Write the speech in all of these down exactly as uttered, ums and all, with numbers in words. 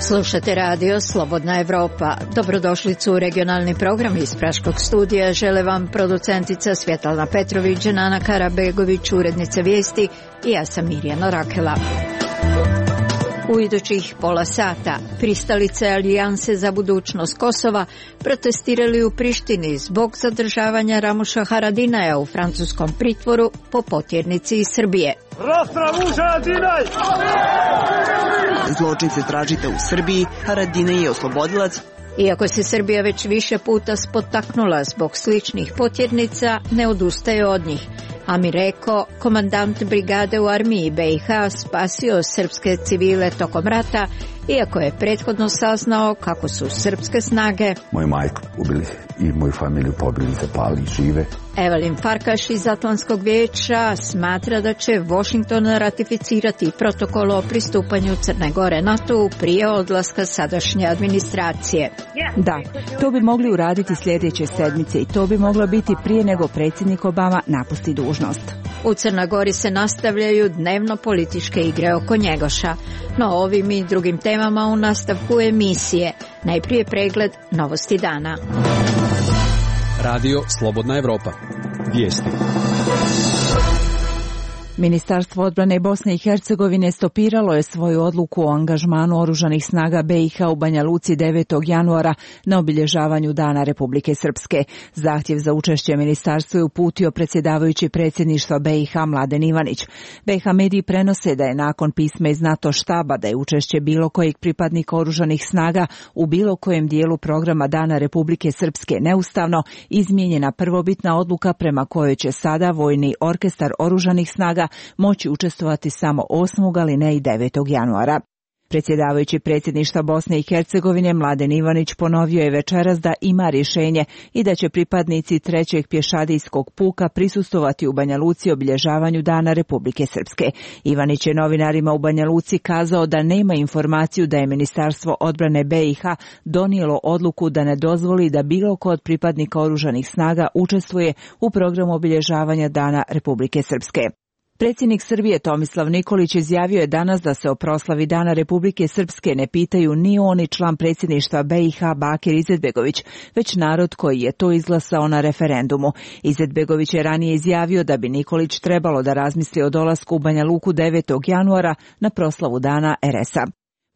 Slušate radio Slobodna Evropa. Dobrodošlicu u regionalni program iz Praškog studija. Žele vam producentica Svjetlana Petrović, Nana Karabegović, urednica vijesti i ja sam Mirjana Rakela. U idućih pola sata pristalice Alijanse za budućnost Kosova protestirali u Prištini zbog zadržavanja Ramuša Haradinaja u francuskom pritvoru po potjernici iz Srbije. Zločince tražite u Srbiji, Haradinaj je oslobodilac. Iako se Srbija već više puta spotaknula zbog sličnih potjernica, ne odustaje od njih. Amir Eko, komandant brigade u armiji B i H, spasio srpske civile tokom rata, iako je prethodno saznao kako su srpske snage moju majku ubili i moju familiju pobili, zapali, žive. Evelin Farkaš iz Atlantskog vijeća smatra da će Washington ratificirati protokol o pristupanju Crne Gore NATO prije odlaska sadašnje administracije. Da, to bi mogli uraditi sljedeće sedmice i to bi moglo biti prije nego predsjednik Obama napusti dužnost. U Crnoj Gori se nastavljaju dnevno političke igre oko Njegoša, no ovim i drugim temama u nastavku emisije. Najprije pregled novosti dana. Radio Slobodna Evropa. Vijesti. Ministarstvo odbrane Bosne i Hercegovine stopiralo je svoju odluku o angažmanu oružanih snaga B i H u Banja Luci devetog januara na obilježavanju Dana Republike Srpske. Zahtjev za učešće ministarstvo je uputio predsjedavajući predsjedništva B i H Mladen Ivanić. B i H mediji prenose da je nakon pisma iz NATO štaba da je učešće bilo kojeg pripadnika oružanih snaga u bilo kojem dijelu programa Dana Republike Srpske neustavno, izmijenjena prvobitna odluka prema kojoj će sada vojni orkestar oružanih snaga moći učestvovati samo osmog ali ne i devetog januara. Predsjedavajući predsjedništva Bosne i Hercegovine Mladen Ivanić ponovio je večeras da ima rješenje i da će pripadnici trećeg pješadijskog puka prisustvovati u Banja Luci obilježavanju Dana Republike Srpske. Ivanić je novinarima u Banja Luci kazao da nema informaciju da je Ministarstvo odbrane B i H donijelo odluku da ne dozvoli da bilo ko od pripadnika oružanih snaga učestvuje u programu obilježavanja Dana Republike Srpske. Predsjednik Srbije Tomislav Nikolić izjavio je danas da se o proslavi Dana Republike Srpske ne pitaju ni on ni član predsjedništva B i H Bakir Izetbegović, već narod koji je to izglasao na referendumu. Izetbegović je ranije izjavio da bi Nikolić trebalo da razmisli o dolasku u Banja Luku devetog januara na proslavu Dana R S A.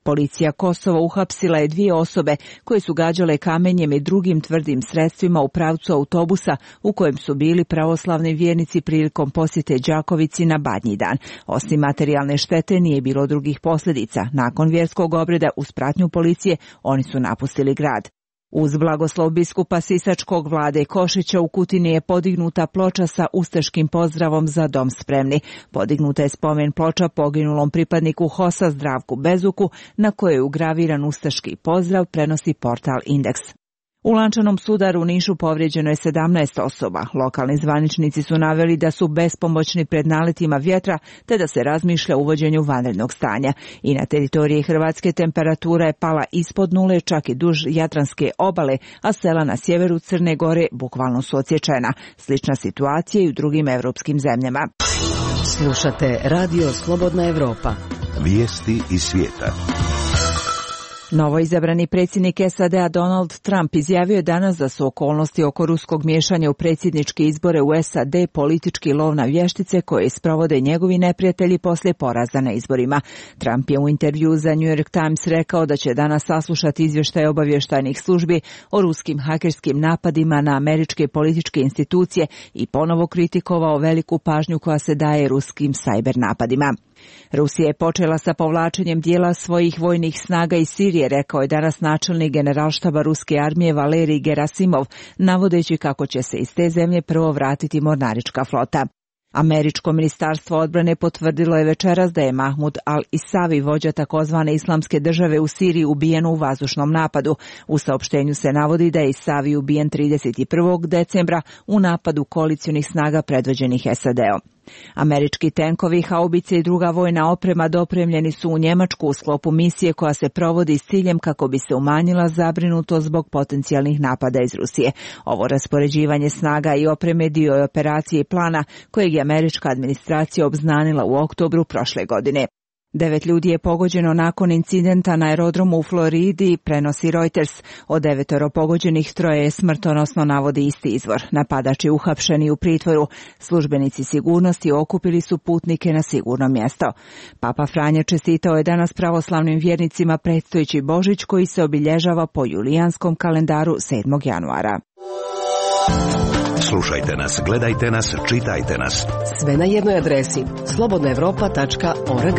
Policija Kosova uhapsila je dvije osobe koje su gađale kamenjem i drugim tvrdim sredstvima u pravcu autobusa u kojem su bili pravoslavni vjernici prilikom posjete Đakovici na Badnji dan. Osim materijalne štete nije bilo drugih posljedica. Nakon vjerskog obreda uz pratnju policije oni su napustili grad. Uz blagoslov biskupa Sisačkog Vlade Košića u Kutini je podignuta ploča sa ustaškim pozdravom Za dom spremni. Podignuta je spomen ploča poginulom pripadniku HOS-a Zdravku Bezuku, na kojoj je ugraviran ustaški pozdrav, prenosi portal Indeks. U lančanom sudaru u Nišu povrijeđeno je sedamnaest osoba. Lokalni zvaničnici su naveli da su bespomoćni pred naletima vjetra, te da se razmišlja o uvođenju vanrednog stanja. I na teritoriji Hrvatske temperatura je pala ispod nule, čak i duž Jadranske obale, a sela na sjeveru Crne Gore bukvalno su odsječena. Slična situacija i u drugim evropskim zemljama. Slušate Radio Slobodna Evropa. Vijesti iz svijeta. Novoizabrani predsjednik S A D-a Donald Trump izjavio je danas da su okolnosti oko ruskog miješanja u predsjedničke izbore u S A D politički lov na vještice koje sprovode njegovi neprijatelji poslije poraza na izborima. Trump je u intervju za New York Times rekao da će danas saslušati izvještaj obavještajnih službi o ruskim hakerskim napadima na američke političke institucije i ponovo kritikovao veliku pažnju koja se daje ruskim sajber napadima. Rusija je počela sa povlačenjem dijela svojih vojnih snaga iz Sirije, rekao je danas načelnik generalštaba ruske armije Valerij Gerasimov, navodeći kako će se iz te zemlje prvo vratiti mornarička flota. Američko ministarstvo odbrane potvrdilo je večeras da je Mahmud al-Isavi, vođa takozvane islamske države u Siriji, ubijen u vazdušnom napadu. U saopštenju se navodi da je Isavi ubijen trideset prvog decembra u napadu koalicionih snaga predvođenih S A D-om. Američki tenkovi, haubice i druga vojna oprema dopremljeni su u Njemačku u sklopu misije koja se provodi s ciljem kako bi se umanjila zabrinutost zbog potencijalnih napada iz Rusije. Ovo raspoređivanje snaga i opreme dio je operacije i plana kojeg je američka administracija obznanila u oktobru prošle godine. Devet ljudi je pogođeno nakon incidenta na aerodromu u Floridi, prenosi Reuters. Od devetoro pogođenih troje je smrtonosno, navodi isti izvor. Napadač je uhapšen i u pritvoru. Službenici sigurnosti okupili su putnike na sigurno mjesto. Papa Franja čestitao je danas pravoslavnim vjernicima predstojeći Božić koji se obilježava po julijanskom kalendaru sedmog januara. Slušajte nas, gledajte nas, čitajte nas. Sve na jednoj adresi slobodna evropa tačka org.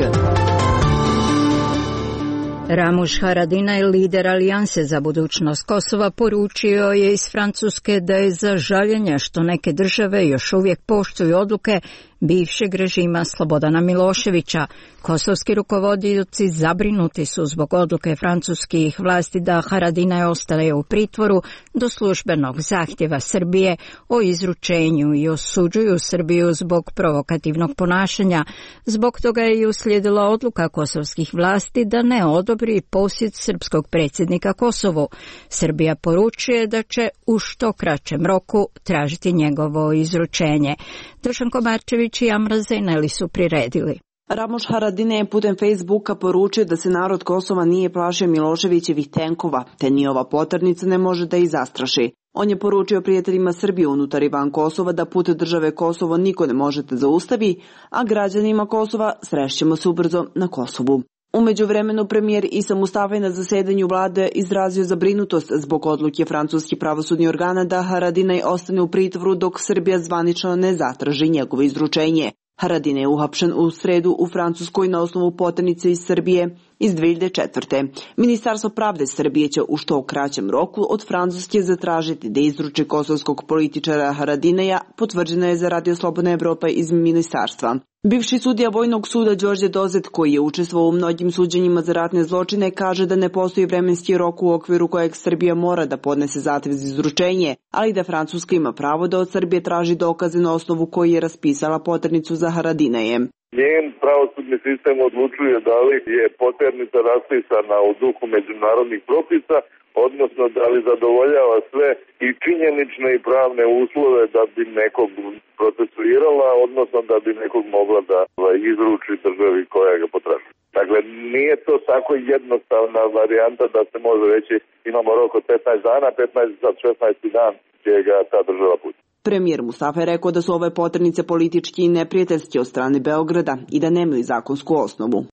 Ramush Haradinaj, lider Alijanse za budućnost Kosova, poručio je iz Francuske da je za žaljenje što neke države još uvijek poštuju odluke bivšeg režima Slobodana Miloševića. Kosovski rukovodioci zabrinuti su zbog odluke francuskih vlasti da Haradinaj ostane u pritvoru do službenog zahtjeva Srbije o izručenju i osuđuju Srbiju zbog provokativnog ponašanja. Zbog toga je i uslijedila odluka kosovskih vlasti da ne odobri posjet srpskog predsjednika Kosovu. Srbija poručuje da će u što kraćem roku tražiti njegovo izručenje. Dušan Komarčević i Amra Zeneli su priredili. Ramush Haradinaj je putem Facebooka poručio da se narod Kosova nije plašio Miloševićevih tenkova, te ni ova poternica ne može da ih zastraši. On je poručio prijateljima Srbije unutar i van Kosova da put države Kosovo niko ne možete zaustavi, a građanima Kosova srešćemo se ubrzo na Kosovu. U međuvremenu premijer Isa Mustafa na zasedanju vlade izrazio zabrinutost zbog odluke francuskih pravosudnih organa da Haradinaj ostane u pritvoru dok Srbija zvanično ne zatraži njegovo izručenje. Haradinaj je uhapšen u sredu u Francuskoj na osnovu poternice iz Srbije iz dve hiljade četvrte. Ministarstvo pravde Srbije će u što kraćem roku od Francuske zatražiti da izruči kosovskog političara Haradinaja, potvrđeno je za Radio Slobodna Evropa iz ministarstva. Bivši sudija Vojnog suda Đorđe Dozet, koji je učestvovao u mnogim suđenjima za ratne zločine, kaže da ne postoji vremenski rok u okviru kojeg Srbija mora da podnese zahtev za izručenje, ali da Francuska ima pravo da od Srbije traži dokaze na osnovu koji je raspisala poternicu za Haradinaje. Njen pravosudni sistem odlučuje da li je poternica raspisana u duhu međunarodnih propisa, odnosno da li zadovoljava sve i činjenične i pravne uslove da bi nekog procesuirala, odnosno da bi nekog mogla da izruči državi koja ga potražuje. Dakle, nije to tako jednostavna varijanta da se može reći imamo rok od petnaest dana, petnaest za šesnaesti dan će ga ta država pustiti. Premijer Mustafa je rekao da su ove poternice politički i neprijateljski od strane Beograda i da nemaju zakonsku osnovu.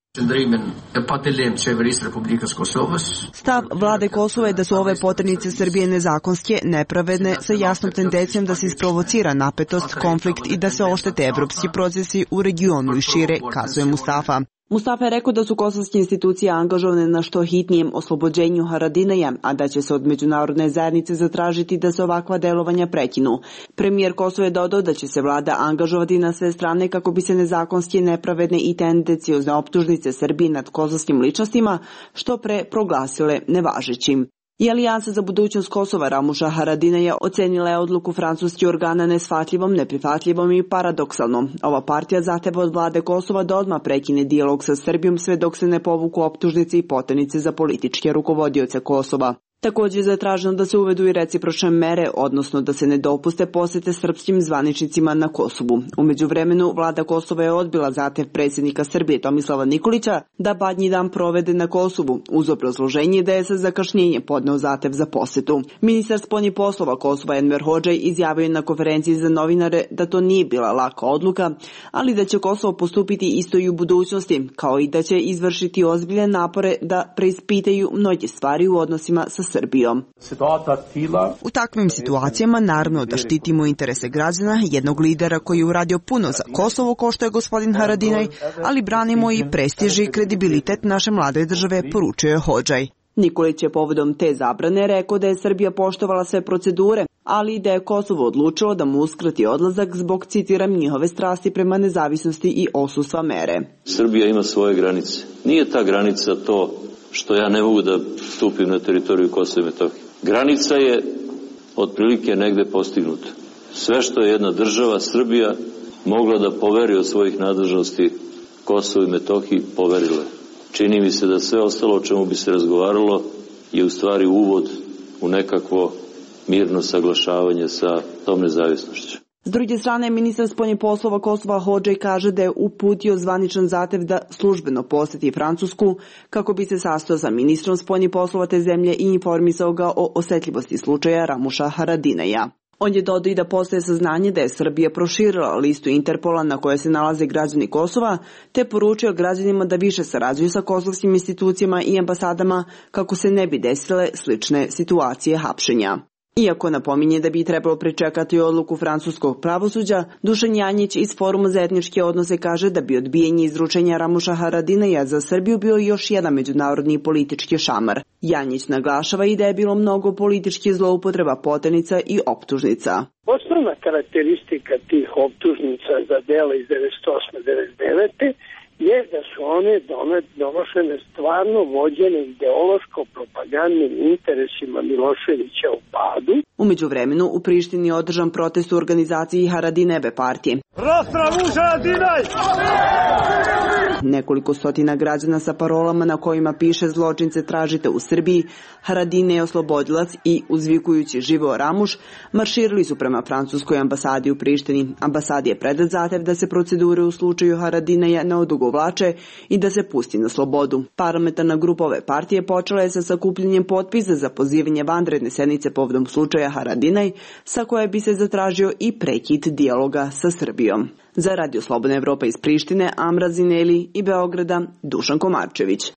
Stav vlade Kosova je da su ove poternice Srbije nezakonske, nepravedne, sa jasnom tendencijom da se isprovocira napetost, konflikt i da se oštete evropski procesi u regionu i šire, kazuje Mustafa. Mustafa je rekao da su kosovske institucije angažovane na što hitnijem oslobođenju Haradinaja, a da će se od međunarodne zajednice zatražiti da se ovakva delovanja prekinu. Premijer Kosova je dodao da će se vlada angažovati na sve strane kako bi se nezakonske, nepravedne i tendenciozne optužnice Srbije nad kosovskim ličnostima što pre proglasile nevažećim. I Alijansa za budućnost Kosova Ramusha Haradinaja ocenila je odluku francuskih organa neshvatljivom, neprihvatljivom i paradoksalnom. Ova partija zahteva od vlade Kosova da odmah prekine dijalog sa Srbijom sve dok se ne povuku optužnice i poternice za političke rukovodioce Kosova. Također je zatraženo da se uvedu i recipročne mere, odnosno da se ne dopuste posjete srpskim zvaničnicima na Kosovu. U međuvremenu, vlada Kosova je odbila zahtev predsjednika Srbije Tomislava Nikolića da Badnji dan provede na Kosovu, uz obrazloženje da je sa zakašnjenjem podneo zahtev za posjetu. Ministar spoljnih poslova Kosova Enver Hodžaj izjavio na konferenciji za novinare da to nije bila laka odluka, ali da će Kosovo postupiti isto i u budućnosti, kao i da će izvršiti ozbiljne napore da preispitaju mnoge stvari u odnosima sa Srbijom. U takvim situacijama naravno da štitimo interese građana, jednog lidera koji je uradio puno za Kosovo kao što je gospodin Haradinaj, ali branimo i prestiž i kredibilitet naše mlade države, poručio je Hodžaj. Nikolić je povodom te zabrane rekao da je Srbija poštovala sve procedure, ali i da je Kosovo odlučilo da mu uskrati odlazak zbog, citiram, njihove strasti prema nezavisnosti i odsustva mere. Srbija ima svoje granice. Nije ta granica to što ja ne mogu da stupim na teritoriju Kosova i Metohije. Granica je otprilike negde postignuta. Sve što je jedna država, Srbija, mogla da poveri od svojih nadležnosti Kosovo i Metohiji, poverile. Čini mi se da sve ostalo o čemu bi se razgovaralo je u stvari uvod u nekakvo mirno saglašavanje sa tom nezavisnošću. S druge strane, ministar spoljnih poslova Kosova Hodžaj kaže da je uputio zvaničan zahtev da službeno poseti Francusku kako bi se sastao sa ministrom spoljnih poslova te zemlje i informisao ga o osetljivosti slučaja Ramuša Haradinaja. On je dodao i da postoje saznanje da je Srbija proširila listu Interpola na kojoj se nalaze građani Kosova, te poručio građanima da više sarađuju sa kosovskim institucijama i ambasadama kako se ne bi desile slične situacije hapšenja. Iako napominje da bi trebalo pričekati odluku francuskog pravosuđa, Dušan Janjić iz Foruma za etničke odnose kaže da bi odbijanje izručenja Ramuša Haradinaja za Srbiju bio još jedan međunarodni politički šamar. Janjić naglašava i da je bilo mnogo političkih zloupotreba poternica i optužnica. Osnovna karakteristika tih optužnica za dela iz devedeset osme do devedeset devete je da su one donošene stvarno vođene ideološko-propagandnim interesima Miloševića u padu. U međuvremenu u Prištini je održan protest u organizaciji Haradinajeve partije. Nekoliko stotina građana sa parolama na kojima piše zločince tražite u Srbiji, Haradinaj je oslobodilac i uzvikujući živeo Ramuš, marširali su prema francuskoj ambasadi u Prištini. Ambasadi je predat zahtev da se procedure u slučaju Haradinaja ne odugovlače i da se pusti na slobodu. Parlamentarna grupa ove partije počela je sa sakupljanjem potpisa za pozivanje vanredne sednice povodom slučaja Haradinaj, sa koje bi se zatražio i prekid dijaloga sa Srbijom. Za Radio Slobodna Evropa iz Prištine, Amra Zineli i Beograda, Dušan Komarčević.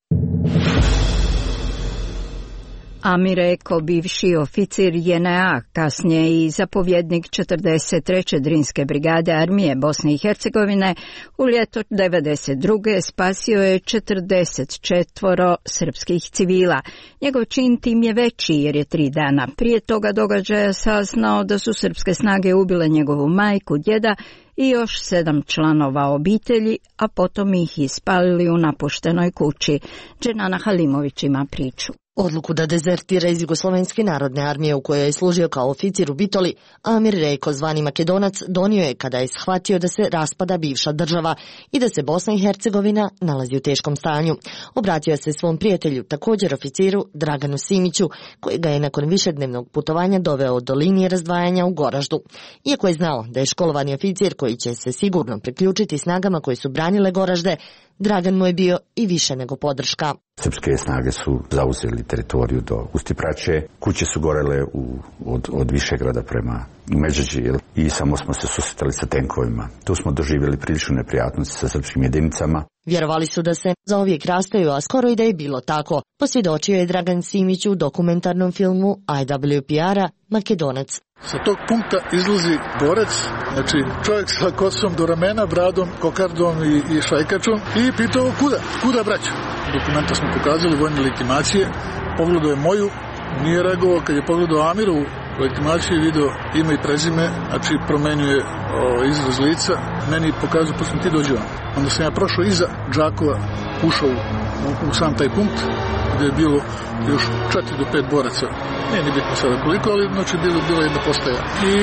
Amir Eko, bivši oficir J N A, kasnije i zapovjednik četrdeset treće Drinske brigade armije Bosne i Hercegovine, u ljeto devedeset druge spasio je četrdeset četvoro srpskih civila. Njegov čin tim je veći jer je tri dana prije toga događaja saznao da su srpske snage ubile njegovu majku, djeda i još sedam članova obitelji, a potom ih ispalili u napuštenoj kući. Dženana Halimović ima priču. Odluku da dezertira iz Jugoslovenske narodne armije u kojoj je služio kao oficir u Bitoli, Amir Rejko, zvani Makedonac, donio je kada je shvatio da se raspada bivša država i da se Bosna i Hercegovina nalazi u teškom stanju. Obratio se svom prijatelju, također oficiru Draganu Simiću, koji ga je nakon višednevnog putovanja doveo do linije razdvajanja u Goraždu. Iako je znao da je školovani oficir koji će se sigurno priključiti snagama koje su branile Goražde, Dragan mu je bio i više nego podrška. Srpske snage su zauzeli teritoriju do Ustipraće, kuće su gorele u, od, od Višegrada prema Međeđi i samo smo se susretali sa tenkovima. Tu smo doživjeli priličnu neprijatnost sa srpskim jedinicama. Vjerovali su da se zauvijek rastaju, a skoro i da je bilo tako. Posvjedočio je Dragan Simić u dokumentarnom filmu I W P R-a Makedonac. Sa tog punkta izlazi borac, znači čovjek sa kosom do ramena, bradom, kokardom i, i šajkačom i pitao kuda, kuda braću. Dokumenta smo pokazali, vojne legitimacije, pogledao je moju, nije reagovao, kad je pogledao Amirovu legitimaciju i video ime i prezime, znači promenio je o, izraz lica, meni pokazao, poslije ti dođe vam. Onda sam ja prošao iza Džakova, ušao u, u, u sam taj punkt, gdje je bilo još četiri do pet boraca. Nije ni bitno sada koliko, ali znači bilo, bila jedna postaja. I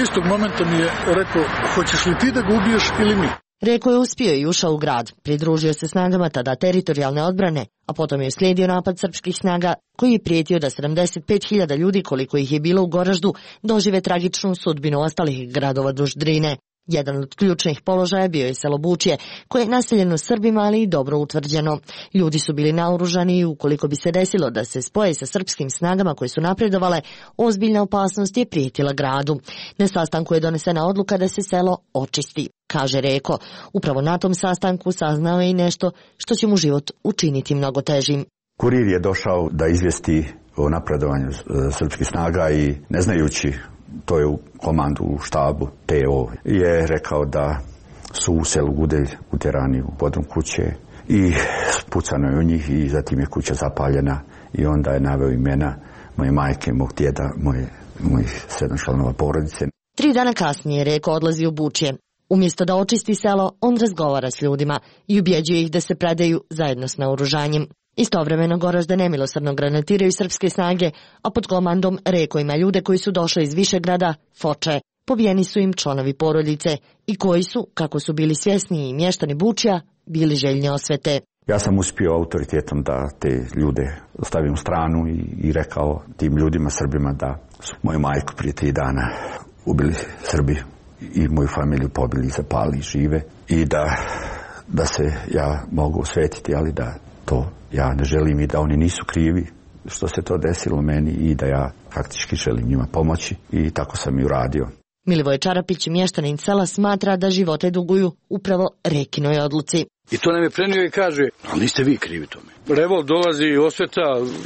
istog momenta mi je rekao, hoćeš li ti da ga ubiješ ili mi? Reko je uspio i ušao u grad, pridružio se snagama tada teritorijalne odbrane, a potom je uslijedio napad srpskih snaga koji je prijetio da sedamdeset pet hiljada ljudi, koliko ih je bilo u Goraždu, dožive tragičnu sudbinu ostalih gradova duž Drine. Jedan od ključnih položaja bio je selo Bučje, koje je naseljeno Srbima, ali i dobro utvrđeno. Ljudi su bili naoružani i ukoliko bi se desilo da se spoje sa srpskim snagama koje su napredovale, ozbiljna opasnost je prijetila gradu. Na sastanku je donesena odluka da se selo očisti, kaže Reko. Upravo na tom sastanku saznao je i nešto što će mu život učiniti mnogo težim. Kurir je došao da izvijesti o napredovanju srpskih snaga i ne znajući, to je u komandu u štabu T O, je rekao da su u selu Gudelj utjerani u podrum kuće i pucano je u njih i zatim je kuća zapaljena i onda je naveo imena moje majke, mog djeda, moje, mojih sedam članova porodice. Tri dana kasnije Reko odlazi u Bučje. Umjesto da očisti selo, on razgovara s ljudima i ubjeđuje ih da se predaju zajedno s naoružanjem. Istovremeno Goražde nemilosrdno granatiraju srpske snage, a pod komandom Reko ima ljude koji su došli iz Višegrada, Foče. pobijeni su im članovi porodice i koji su, kako su bili svjesni i mještani Bučja, bili željni osvete. Ja sam uspio autoritetom da te ljude stavim u stranu i, i rekao tim ljudima, Srbima, da su moju majku prije tri dana ubili Srbi i moju familiju pobili, zapali, žive i da, da se ja mogu osvetiti, ali da to ja ne želim i da oni nisu krivi što se to desilo meni i da ja faktički želim njima pomoći i tako sam i uradio. Milivoje Čarapić, mještanin sela, smatra da živote duguju upravo Rekinoj odluci. I to nam je prenio i kaže, ali niste vi krivi tome. Revolt dolazi, osveta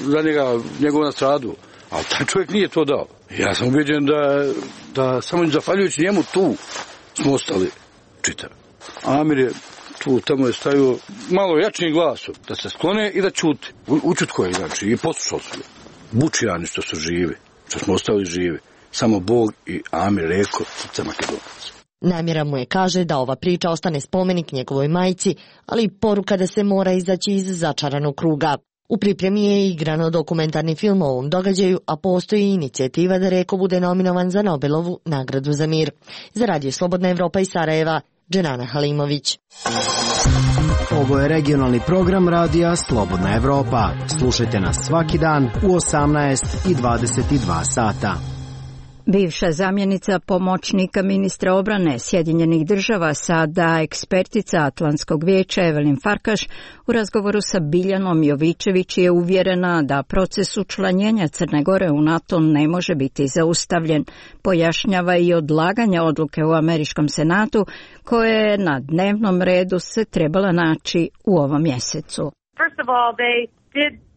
za njega, njegov nastradu, ali taj čovjek nije to dao. Ja sam ubeđen da, da samo zahvaljujući njemu tu smo ostali čitavi. Amir je tu, tamo je stavio malo jačnim glasom, da se sklone i da čute. Učutko je, znači, i poslušao su. Bučjani što su živi, što smo ostali živi. Samo Bog i Amir Reko, srce Makedonaca. Namjera mu je, kaže, da ova priča ostane spomenik njegovoj majci, ali i poruka da se mora izaći iz začaranog kruga. U pripremi je igrano dokumentarni film o ovom događaju, a postoji inicijativa da Reko bude nominovan za Nobelovu nagradu za mir. Za Radio Slobodna Evropa iz Sarajeva, Dženana Halimović. Ovo je regionalni program radija Slobodna Evropa. Slušajte nas svaki dan u osamnaest i dvadeset dva sata. Bivša zamjenica pomoćnika ministra obrane Sjedinjenih država, sada ekspertica Atlantskog vijeća Evelyn Farkaš, u razgovoru sa Biljanom Jovičević je uvjerena da proces učlanjenja Crne Gore u NATO ne može biti zaustavljen. Pojašnjava i odlaganje odluke u Američkom senatu, koje je na dnevnom redu se trebala naći u ovom mjesecu. First of all, they did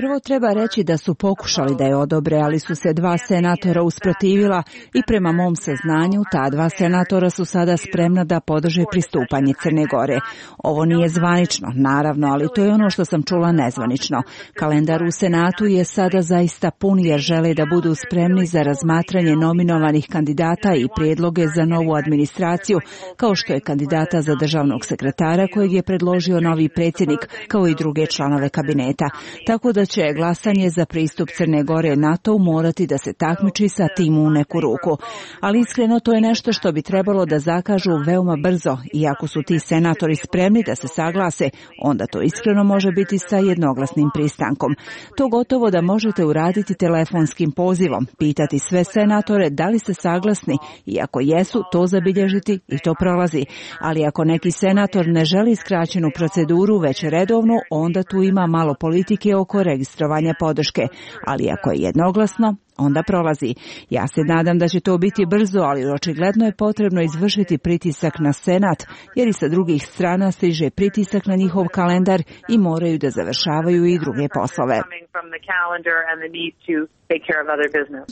Prvo treba reći da su pokušali da je odobre, ali su se dva senatora usprotivila i prema mom saznanju ta dva senatora su sada spremna da podrže pristupanje Crne Gore. Ovo nije zvanično, naravno, ali to je ono što sam čula nezvanično. Kalendar u Senatu je sada zaista pun jer žele da budu spremni za razmatranje nominovanih kandidata i prijedloge za novu administraciju, kao što je kandidata za državnog sekretara kojeg je predložio novi predsjednik, kao i druge članove kabineta, tako da će glasanje za pristup Crne Gore NATO morati da se takmiči sa tim u neku ruku. Ali iskreno to je nešto što bi trebalo da zakažu veoma brzo i ako su ti senatori spremni da se saglase, onda to iskreno može biti sa jednoglasnim pristankom. To gotovo da možete uraditi telefonskim pozivom, pitati sve senatore da li ste saglasni i ako jesu, to zabilježiti i to prolazi. Ali ako neki senator ne želi skraćenu proceduru, već redovnu, onda tu ima malo politike oko registrovanja podrške, ali ako je jednoglasno, onda prolazi. Ja se nadam da će to biti brzo, ali očigledno je potrebno izvršiti pritisak na Senat, jer i sa drugih strana stiže pritisak na njihov kalendar i moraju da završavaju i druge poslove.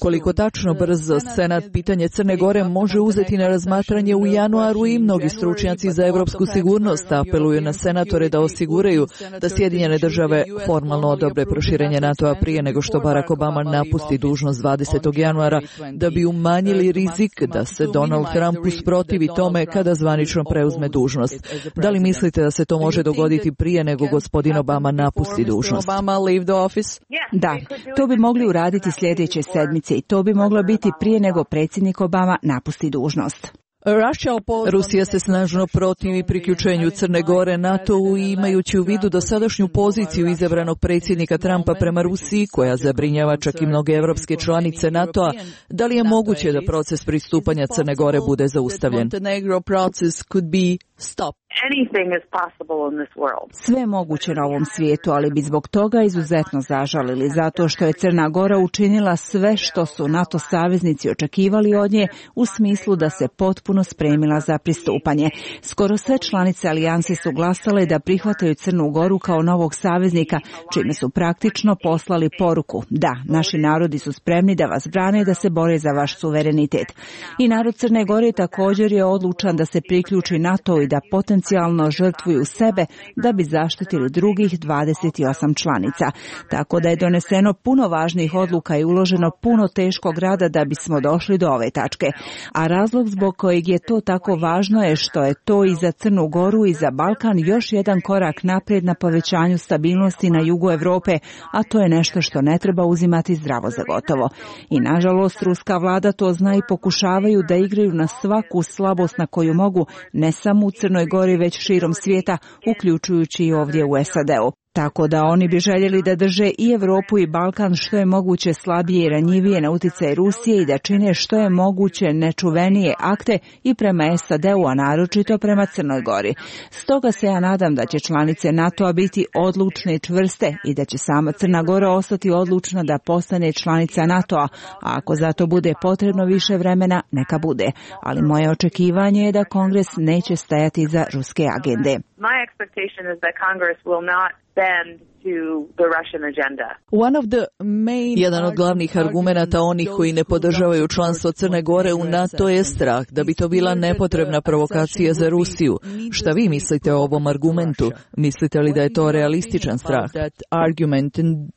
Koliko tačno brzo Senat pitanje Crne Gore može uzeti na razmatranje u januaru i mnogi stručnjaci za evropsku sigurnost apeluju na senatore da osiguraju da Sjedinjene države formalno odobre proširenje NATO-a prije nego što Barack Obama napusti dužnost dvadesetog januara da bi umanjili rizik da se Donald Trump usprotivi tome kada zvanično preuzme dužnost. Da li mislite da se to može dogoditi prije nego gospodin Obama napusti dužnost? Da, to bi mogli uraditi sljedeće sedmice i to bi moglo biti prije nego predsjednik Obama napusti dužnost. Rusija se snažno protivi priključenju Crne Gore NATO-u i imajući u vidu dosadašnju poziciju izabranog predsjednika Trumpa prema Rusiji, koja zabrinjava čak i mnoge evropske članice NATO-a, da li je moguće da proces pristupanja Crne Gore bude zaustavljen? Sve je moguće na ovom svijetu, ali bi zbog toga izuzetno zažalili, zato što je Crna Gora učinila sve što su NATO saveznici očekivali od nje u smislu da se potpuno spremila za pristupanje. Skoro sve članice alijanse su glasale da prihvataju Crnu Goru kao novog saveznika, čime su praktično poslali poruku: da, naši narodi su spremni da vas brane, da se bore za vaš suverenitet. I narod Crne Gore također je odlučan da se priključi NATO i da potencijalno žrtvuju sebe da bi zaštitili drugih dvadeset osam članica. Tako da je doneseno puno važnih odluka i uloženo puno teškog rada da bismo došli do ove tačke. A razlog zbog kojeg je to tako važno je što je to i za Crnu Goru i za Balkan još jedan korak naprijed na povećanju stabilnosti na jugu Evrope, a to je nešto što ne treba uzimati zdravo za gotovo. I nažalost, ruska vlada to zna i pokušavaju da igraju na svaku slabost na koju mogu, ne samo u Crnoj Gori, već širom svijeta, uključujući i ovdje u S A D-u. Tako da oni bi željeli da drže i Evropu i Balkan što je moguće slabije i ranjivije na utjecaj Rusije i da čine što je moguće nečuvenije akte i prema S A D-u, a naročito prema Crnoj Gori. Stoga se ja nadam da će članice NATO-a biti odlučne i čvrste i da će sama Crna Gora ostati odlučna da postane članica NATO-a, a ako za to bude potrebno više vremena, neka bude. Ali moje očekivanje je da Kongres neće stajati za ruske agende. My expectation is that Congress will not bend to the Russian agenda. One of the main Jedan od glavnih argumenata onih koji ne podržavaju članstvo Crne Gore u NATO je strah da bi to bila nepotrebna provokacija za Rusiju. Šta vi mislite o ovom argumentu? Mislite li da je to realističan strah?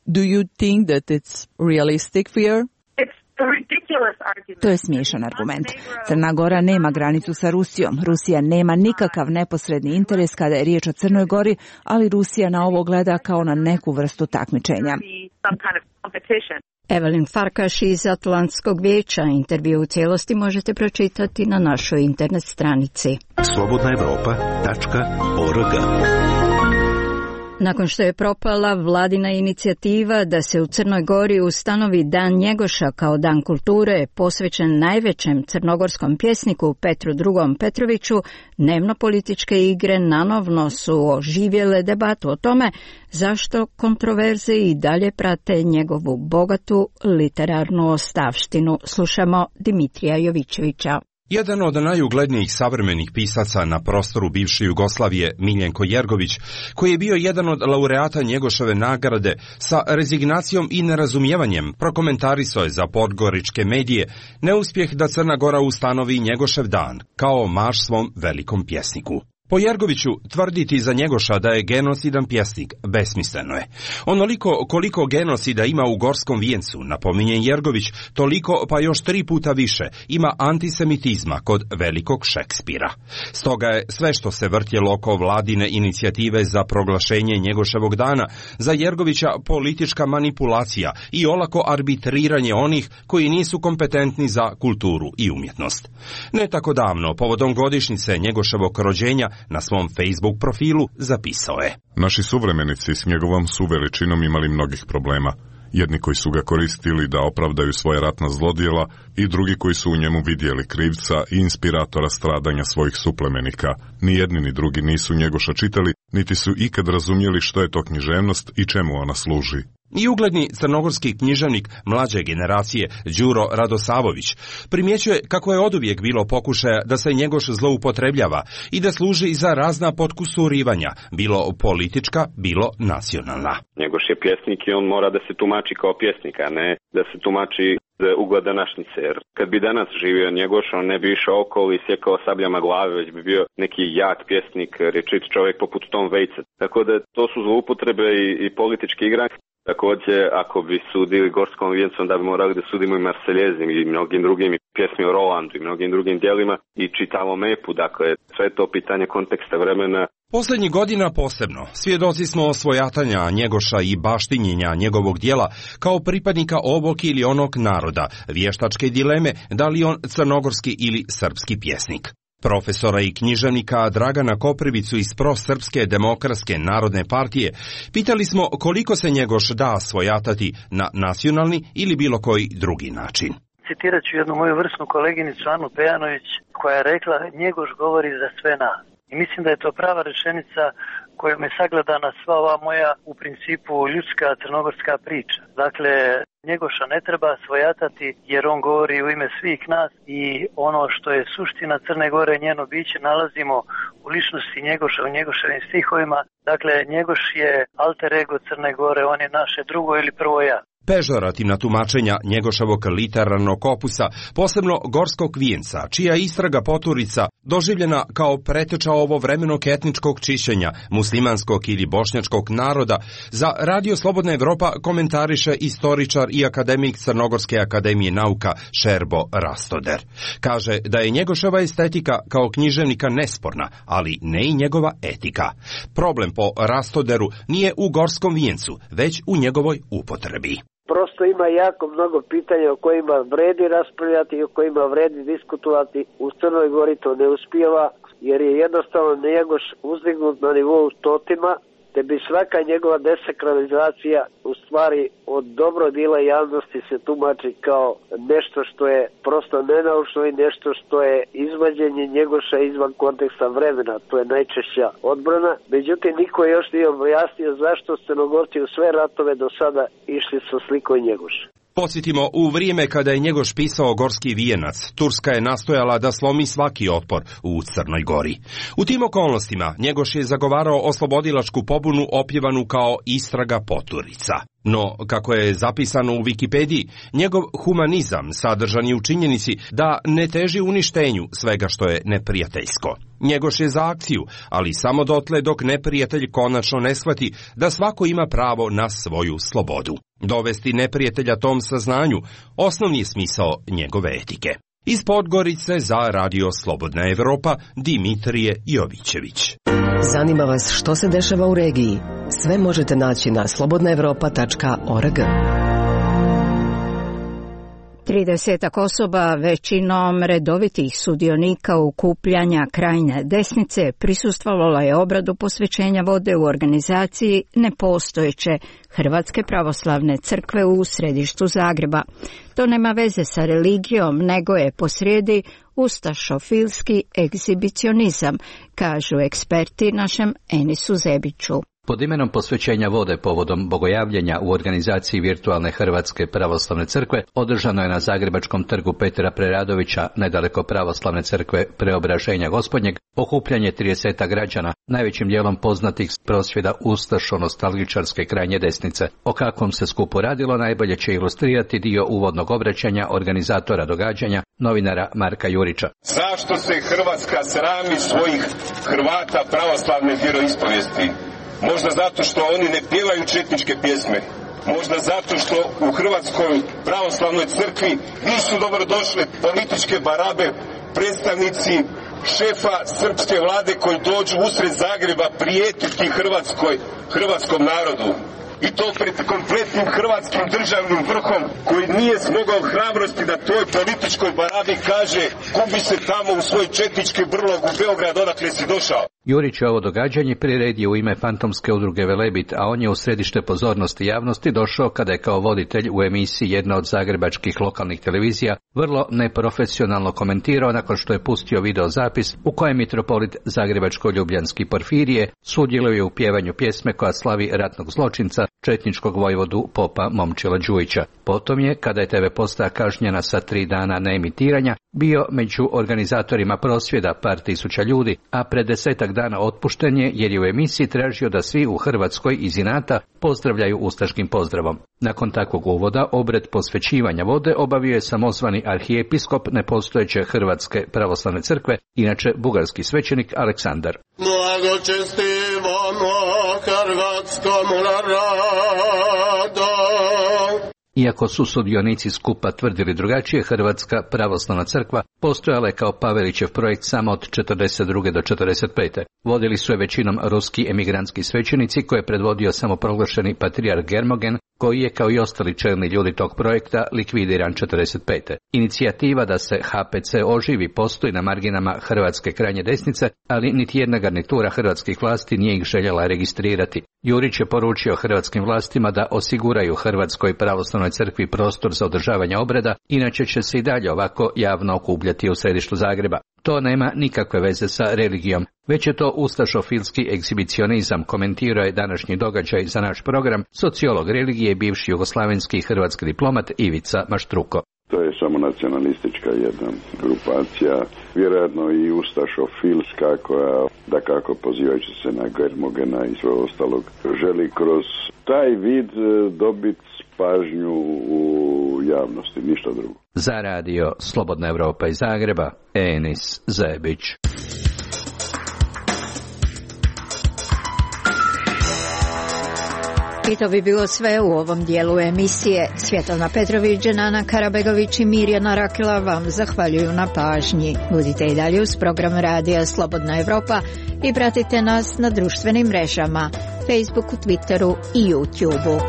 Do you think that it's realistic fear? To je smiješan argument. Crna Gora nema granicu sa Rusijom. Rusija nema nikakav neposredni interes kada je riječ o Crnoj Gori, ali Rusija na ovo gleda kao na neku vrstu takmičenja. Evelyn Farkaš iz Atlantskog vijeća. Intervju u cijelosti možete pročitati na našoj internet stranici. slobodna evropa tačka org. Nakon što je propala vladina inicijativa da se u Crnoj Gori ustanovi Dan Njegoša kao dan kulture posvećen najvećem crnogorskom pjesniku Petru drugom Petroviću, dnevno političke igre nanovno su oživjele debatu o tome zašto kontroverze i dalje prate njegovu bogatu literarnu ostavštinu. Slušamo Dimitrija Jovićevića. Jedan od najuglednijih savremenih pisaca na prostoru bivše Jugoslavije, Miljenko Jergović, koji je bio jedan od laureata Njegoševe nagrade, sa rezignacijom i nerazumijevanjem prokomentarisao je za podgoričke medije neuspjeh da Crna Gora ustanovi Njegošev dan kao marš svom velikom pjesniku. Po Jergoviću, tvrditi za Njegoša da je genocidan pjesnik besmisleno je. Onoliko koliko genocida ima u Gorskom vijencu, napominje Jergović, toliko pa još tri puta više ima antisemitizma kod velikog Šekspira. Stoga je sve što se vrtjelo oko vladine inicijative za proglašenje Njegoševog dana za Jergovića politička manipulacija i olako arbitriranje onih koji nisu kompetentni za kulturu i umjetnost. Ne tako davno, povodom godišnjice Njegoševog rođenja, na svom Facebook profilu zapisao je: Naši suvremenici s njegovom su veličinom imali mnogih problema. Jedni koji su ga koristili da opravdaju svoje ratna zlodjela i drugi koji su u njemu vidjeli krivca i inspiratora stradanja svojih suplemenika. Ni jedni ni drugi nisu Njegoša čitali, niti su ikad razumjeli što je to književnost i čemu ona služi. I ugledni crnogorski književnik mlađe generacije Đuro Radosavović primjećuje kako je oduvijek bilo pokušaja da se Njegoš zloupotrebljava i da služi za razna potkusurivanja, bilo politička, bilo nacionalna. Njegoš je pjesnik i on mora da se tumači kao pjesnik, a ne da se tumači za ugled današnjice. Jer kad bi danas živio Njegoš, on ne bi išao okolo i sjekao sabljama glave, već bi bio neki jak pjesnik, rečit čovjek poput Tom Waitsa. Tako da to su zloupotrebe i, i politički igranje. Također, ako bi sudili Gorskom vijencu, onda bi morali da sudimo i Marseljezim i mnogim drugim, i pjesmi o Rolandu i mnogim drugim dijelima i čitavom epu. Dakle, sve to pitanje konteksta vremena. Posljednjih godina posebno svjedoci smo osvojatanja Njegoša i baštinjenja njegovog dijela kao pripadnika ovog ili onog naroda, vještačke dileme da li on crnogorski ili srpski pjesnik. Profesora i književnika Dragana Koprivicu iz Prosrpske demokratske narodne partije pitali smo koliko se Njegoš da svojatati na nacionalni ili bilo koji drugi način. Citirat ću jednu moju vrsnu koleginicu Anu Pejanović koja je rekla: Njegoš govori za sve nas. I mislim da je to prava rečenica kojom je sagledana sva ova moja u principu ljudska crnogorska priča. Dakle, Njegoša ne treba svojatati jer on govori u ime svih nas i ono što je suština Crne Gore, njeno biće, nalazimo u ličnosti Njegoša, u Njegoševim stihovima. Dakle, Njegoš je alter ego Crne Gore, on je naše drugo ili prvo ja. Pežorativna tumačenja Njegoševog literarnog opusa, posebno Gorskog vijenca, čija istraga poturica doživljena kao preteča ovovremenog etničkog čišćenja muslimanskog ili bošnjačkog naroda, za Radio Slobodna Evropa komentariše istoričar i akademik Crnogorske akademije nauka Šerbo Rastoder. Kaže da je Njegoševa estetika kao književnika nesporna, ali ne i njegova etika. Problem po Rastoderu nije u Gorskom vijencu, već u njegovoj upotrebi. Prosto ima jako mnogo pitanja o kojima vredi raspravljati i o kojima vredi diskutovati. U Crnoj Gori to ne uspijeva, jer je jednostavno Njegoš uzdignut na nivou totima, te bi svaka njegova desakralizacija u stvari od dobro dila javnosti se tumači kao nešto što je prosto nenaučno i nešto što je izvađenje Njegoša izvan konteksta vremena. To je najčešća odbrana. Međutim, niko još nije objasnio zašto Crnogorci u sve ratove do sada išli sa slikom Njegoša. Podsjetimo, u vrijeme kada je Njegoš pisao Gorski vijenac, Turska je nastojala da slomi svaki otpor u Crnoj Gori. U tim okolnostima Njegoš je zagovarao oslobodilačku pobunu opjevanu kao istraga poturica. No, kako je zapisano u Wikipediji, njegov humanizam sadržan je u činjenici da ne teži uništenju svega što je neprijateljsko. Njegoš je za akciju, ali samo dotle dok neprijatelj konačno ne shvati da svako ima pravo na svoju slobodu. Dovesti neprijatelja tom saznanju osnovni je smisao njegove etike. Iz Podgorice za Radio Slobodna Evropa, Dimitrije Jovićević. Zanima vas što se dešava u regiji? Sve možete naći na slobodna evropa tačka org. Tridesetak osoba, većinom redovitih sudionika okupljanja krajnje desnice, prisustvovalo je obradu posvećenja vode u organizaciji nepostojeće Hrvatske pravoslavne crkve u središtu Zagreba. To nema veze sa religijom, nego je posrijedi ustašofilski egzibicionizam, kažu eksperti našem Enisu Zebiću. Pod imenom posvećenja vode povodom bogojavljenja u organizaciji virtualne Hrvatske pravoslavne crkve održano je na Zagrebačkom trgu Petra Preradovića, nedaleko pravoslavne crkve Preobraženja Gospodnjeg, okupljanje tridesetak građana, najvećim dijelom poznatih prosvjeda ustašo-nostalgičarske krajnje desnice. O kakvom se skupu radilo najbolje će ilustrirati dio uvodnog obraćanja organizatora događanja, novinara Marka Jurića. Zašto se Hrvatska srami svojih Hrvata pravoslavne vjeroispovijesti? Možda zato što oni ne pjevaju četničke pjesme. Možda zato što u Hrvatskoj pravoslavnoj crkvi nisu dobro došle političke barabe, predstavnici šefa srpske vlade koji dođu usred Zagreba prijetiti Hrvatskoj, hrvatskom narodu. I to pred kompletnim hrvatskim državnim vrhom koji nije smogao hrabrosti da toj političkoj barabi kaže gubi se tamo u svoj četnički brlog u Beograd odakle si došao. Jurić je ovo događanje priredio u ime fantomske udruge Velebit, a on je u središte pozornosti javnosti došao kada je kao voditelj u emisiji jedna od zagrebačkih lokalnih televizija vrlo neprofesionalno komentirao nakon što je pustio video zapis u kojem mitropolit Zagrebačko-Ljubljanski Porfirije sudjeluje u pjevanju pjesme koja slavi ratnog zločinca, četničkog vojvodu popa Momčila Đujića. Potom je, kada je te ve postaja kažnjena sa tri dana neemitiranja, bio među organizatorima prosvjeda par tisuća ljudi, a pred desetak dana otpušten je jer je u emisiji tražio da svi u Hrvatskoj iz inata pozdravljaju ustaškim pozdravom. Nakon takvog uvoda, obred posvećivanja vode obavio je samozvani arhijepiskop nepostojeće Hrvatske pravoslavne crkve, inače bugarski svećenik Aleksandar. Blagočestivamo hrvatskom narodu. Iako su sudionici skupa tvrdili drugačije, Hrvatska pravoslavna crkva postojala je kao Pavelićev projekt samo od četrdeset druge do četrdeset pete Vodili su je većinom ruski emigrantski svećenici koje je predvodio samoproglašeni patrijarh Germogen, koji je kao i ostali čelni ljudi tog projekta likvidiran četrdeset pete Inicijativa da se ha pe ce oživi postoji na marginama Hrvatske krajnje desnice, ali niti jedna garnitura hrvatskih vlasti nije ih željela registrirati. Jurić je poručio hrvatskim vlastima da osiguraju Hrvatskoj pravoslavnoj crkvi prostor za održavanje obreda, inače će se i dalje ovako javno okupljati u središtu Zagreba. To nema nikakve veze sa religijom, već je to ustašofilski egzibicionizam, komentirao je današnji događaj za naš program sociolog religije i bivši jugoslavenski hrvatski diplomat Ivica Maštruko. To je samo nacionalistička jedna grupacija, vjerojatno i ustašofilska koja, da kako pozivajući se na Germogena i sve ostalog, želi kroz taj vid dobiti pažnju u javnosti, ništa drugo. Za radio Slobodna Evropa iz Zagreba, Enis Zebić. I to bi bilo sve u ovom dijelu emisije. Svjetlana Petrović, Dženana Karabegović i Mirjana Rakela vam zahvaljuju na pažnji. Budite i dalje uz program radija Slobodna Evropa i pratite nas na društvenim mrežama, Facebooku, Twitteru i YouTubeu.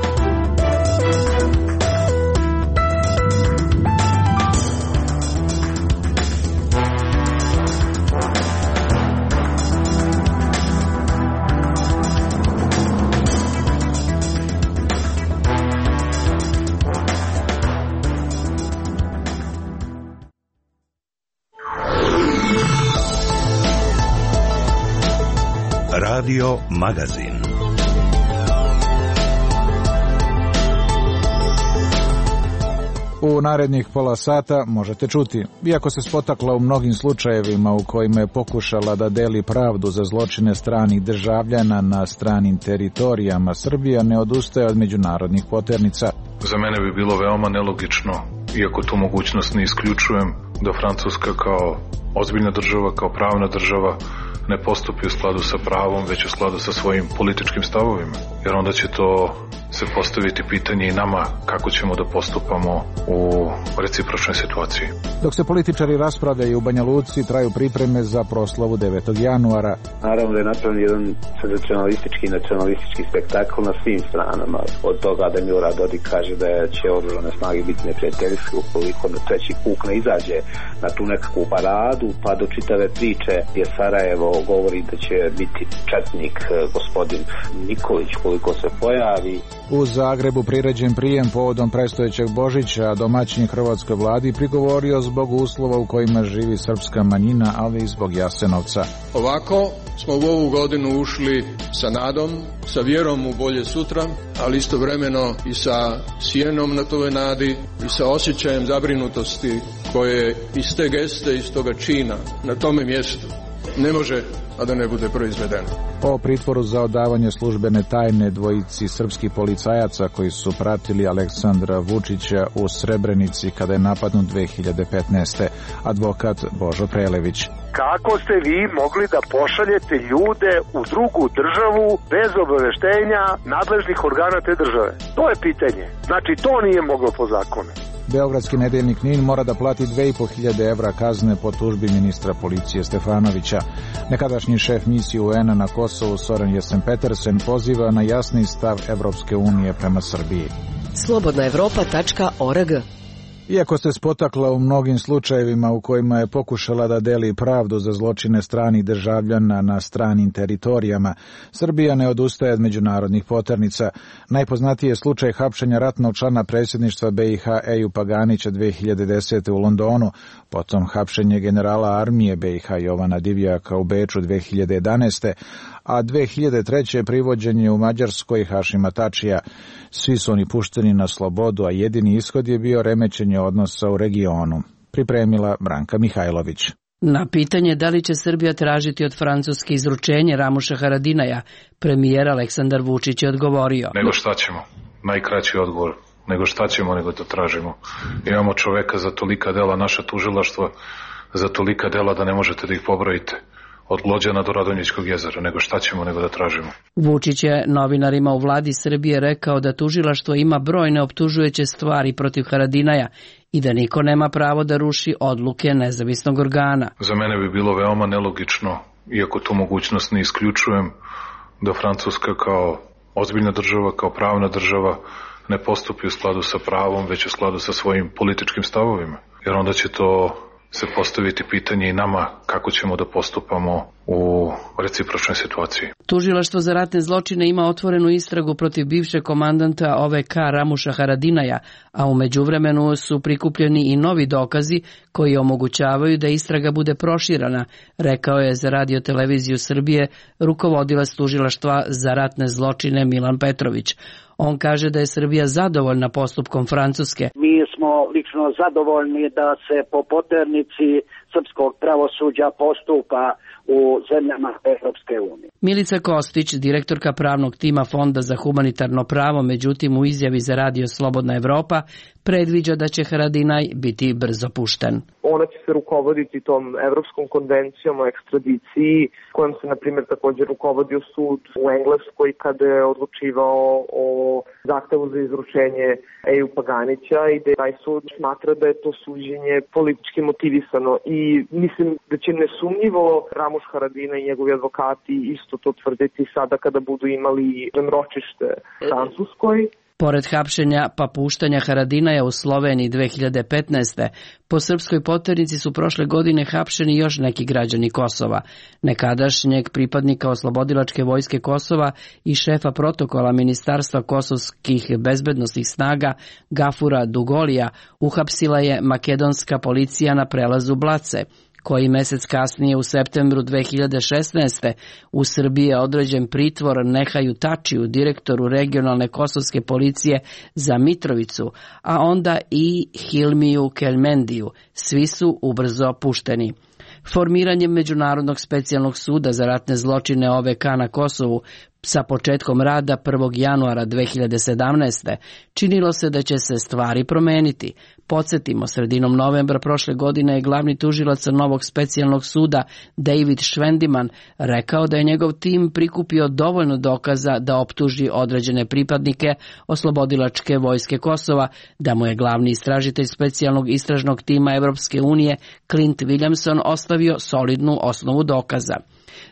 Radio Magazin. U narednih pola sata možete čuti, iako se spotakla u mnogim slučajevima u kojima je pokušala da deli pravdu za zločine stranih državljana na stranim teritorijama, Srbija ne odustaje od međunarodnih poternica. Za mene bi bilo veoma nelogično, iako tu mogućnost ne isključujem, da Francuska kao ozbiljna država, kao pravna država, ne postupi u skladu sa pravom, već u skladu sa svojim političkim stavovima. Jer onda će to se postaviti pitanje i nama kako ćemo da postupamo u recipročnoj situaciji. Dok se političari raspravljaju u Banja Luci, traju pripreme za proslavu devetog januara. Naravno da je napravljen jedan senzacionalistički i nacionalistički spektakl na svim stranama. Od toga da Milorad Dodik kaže da će oružane snage biti neprijateljske ukoliko na treći puk ne izađe na tu nekakvu paradu, pa do čitave priče gdje Sarajevo govori da će biti četnik gospodin Nikolić koliko se pojavi. U Zagrebu priređen prijem povodom predstojećeg Božića, domaćin hrvatskoj vladi prigovorio zbog uslova u kojima živi srpska manjina, ali i zbog Jasenovca. Ovako smo u ovu godinu ušli sa nadom, sa vjerom u bolje sutra, ali istovremeno i sa sjenom na toj nadi i sa osjećajem zabrinutosti koje iz te geste, iz toga čina na tome mjestu ne može, a da ne bude proizvedeno. O pritvoru za odavanje službene tajne dvojici srpskih policajaca koji su pratili Aleksandra Vučića u Srebrenici kada je napadnut dve hiljade petnaeste. Advokat Božo Prelević. Kako ste vi mogli da pošaljete ljude u drugu državu bez obaveštenja nadležnih organa te države? To je pitanje. Znači, to nije moglo po zakonu. Beogradski nedeljnik Nin mora da plati dve i po hiljade evra kazne po tužbi ministra policije Stefanovića. Nekadašnji šef misije U N-a na Kosovu Soren Jesen-Petersen poziva na jasni stav Evropske unije prema Srbiji. slobodna evropa tačka org. Iako se spotakla u mnogim slučajevima u kojima je pokušala da deli pravdu za zločine stranih državljana na stranim teritorijama, Srbija ne odustaje od međunarodnih poternica. Najpoznatiji je slučaj hapšenja ratnog člana predsjedništva B i H Ejupa Ganića dve hiljade desete. u Londonu, potom hapšenje generala armije B i H Jovana Divjaka u Beču dve hiljade jedanaeste. a dve hiljade treće. privođenje u Mađarskoj Hašima Tačija. Svi su oni pušteni na slobodu, a jedini ishod je bio remećenje odnosa u regionu. Pripremila Branka Mihajlović. Na pitanje da li će Srbija tražiti od Francuske izručenje Ramuša Haradinaja, premijer Aleksandar Vučić je odgovorio. Nego šta ćemo? Najkraći odgovor. Nego šta ćemo, nego to tražimo. Imamo čoveka za tolika dela, naša tužilaštva za tolika dela da ne možete da ih pobrojite. Od Glođana do Radonjićkog jezera, nego šta ćemo, nego da tražimo. Vučić je novinarima u vladi Srbije rekao da tužilaštvo ima brojne optužujuće stvari protiv Haradinaja i da niko nema pravo da ruši odluke nezavisnog organa. Za mene bi bilo veoma nelogično, iako tu mogućnost ne isključujem, da Francuska kao ozbiljna država, kao pravna država, ne postupi u skladu sa pravom, već u skladu sa svojim političkim stavovima. Jer onda će to se postaviti pitanje i nama kako ćemo da postupamo u recipročnoj situaciji. Tužilaštvo za ratne zločine ima otvorenu istragu protiv bivšeg komandanta O V K Ramuša Haradinaja, a u međuvremenu su prikupljeni i novi dokazi koji omogućavaju da istraga bude proširana, rekao je za Radio televiziju Srbije rukovodilac tužilaštva za ratne zločine Milan Petrović. On kaže da je Srbija zadovoljna postupkom Francuske. Mi smo lično zadovoljni da se po poternici srpskog pravosuđa postupa u zemljama Evropske unije. Milica Kostić, direktorka pravnog tima Fonda za humanitarno pravo, međutim u izjavi za radio Slobodna Evropa predviđa da će Haradinaj biti brzo pušten. Ona će se rukovoditi tom Evropskom konvencijom o ekstradiciji, kojom se, na primjer, također rukovodio sud u Engleskoj kada je odlučivao o zahtevu za izručenje Eju Paganića i da taj sud smatra da je to suđenje politički motivisano. I mislim da će nesumnjivo Ramuš Haradinaj i njegovi advokati isto to tvrditi sada kada budu imali ročište u Francuskoj. Pored hapšenja pa puštanja Haradinaja u Sloveniji dve hiljade petnaeste. po srpskoj poternici su prošle godine hapšeni još neki građani Kosova. Nekadašnjeg pripadnika oslobodilačke vojske Kosova i šefa protokola Ministarstva kosovskih bezbednosnih snaga Gafura Dugolija uhapsila je makedonska policija na prelazu Blace. Koji mesec kasnije u septembru dve hiljade šesnaeste. u Srbiji je određen pritvor Nehaju Tačiju, direktoru regionalne kosovske policije za Mitrovicu, a onda i Hilmiju Kelmendiju. Svi su ubrzo pušteni. Formiranjem Međunarodnog specijalnog suda za ratne zločine O V K na Kosovu sa početkom rada prvog januara dve hiljade sedamnaeste. činilo se da će se stvari promeniti. Podsjetimo, sredinom novembra prošle godine je glavni tužilac novog specijalnog suda David Švendiman rekao da je njegov tim prikupio dovoljno dokaza da optuži određene pripadnike oslobodilačke vojske Kosova, da mu je glavni istražitelj specijalnog istražnog tima Evropske unije Clint Williamson ostavio solidnu osnovu dokaza.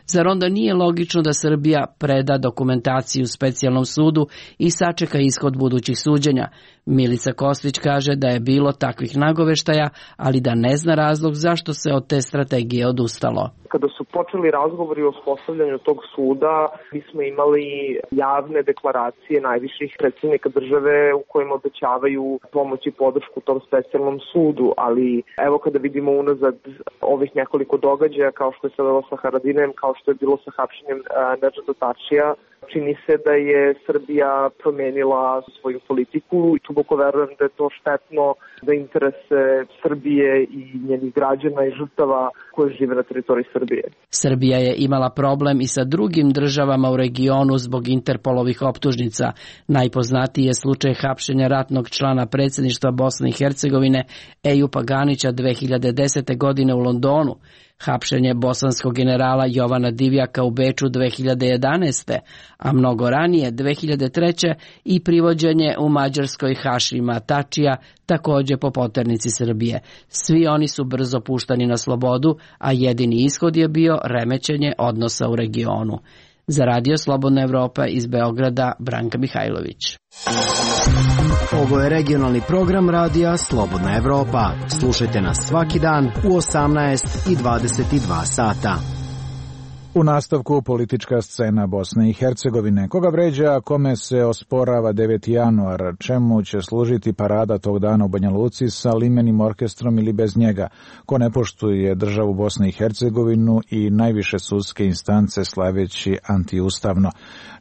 Zar onda nije logično da Srbija preda dokumentaciju specijalnom sudu i sačeka ishod budućih suđenja? Milica Kostić kaže da je bilo takvih nagoveštaja, ali da ne zna razlog zašto se od te strategije odustalo. Kada su počeli razgovori o uspostavljanju tog suda, mi smo imali javne deklaracije najviših predsjednika države u kojima obećavaju pomoć i podršku tom specijalnom sudu, ali evo kada vidimo unazad ovih nekoliko događaja, kao što je se bilo sa Haradinajem, kao što je bilo sa hapšenjem Nedžada Tačija, čini se da je Srbija promenila svoju politiku i duboko verujem da je to štetno za interese Srbije i njenih građana i žrtava koje žive na teritoriji Srbije. Srbija je imala problem i sa drugim državama u regionu zbog Interpolovih optužnica. Najpoznatiji je slučaj hapšenja ratnog člana predsjedništva Bosne i Hercegovine Eju Paganića dve hiljade desete. godine u Londonu. Hapšenje bosanskog generala Jovana Divjaka u Beču dve hiljade jedanaeste. a mnogo ranije dve hiljade treće. i privođenje u Mađarskoj Hašima Tačija, također po poternici Srbije. Svi oni su brzo puštani na slobodu, a jedini ishod je bio remećenje odnosa u regionu. Za radio Slobodna Evropa iz Beograda, Branka Mihajlović. Ovo je regionalni program radija Slobodna Evropa. Slušajte nas svaki dan u osamnaest i dvadeset dva sata. U nastavku politička scena Bosne i Hercegovine. Koga vređa, a kome se osporava deveti januar? Čemu će služiti parada tog dana u Banja Luci sa limenim orkestrom ili bez njega? Ko ne poštuje državu Bosne i Hercegovinu i najviše sudske instance slaveći antiustavno?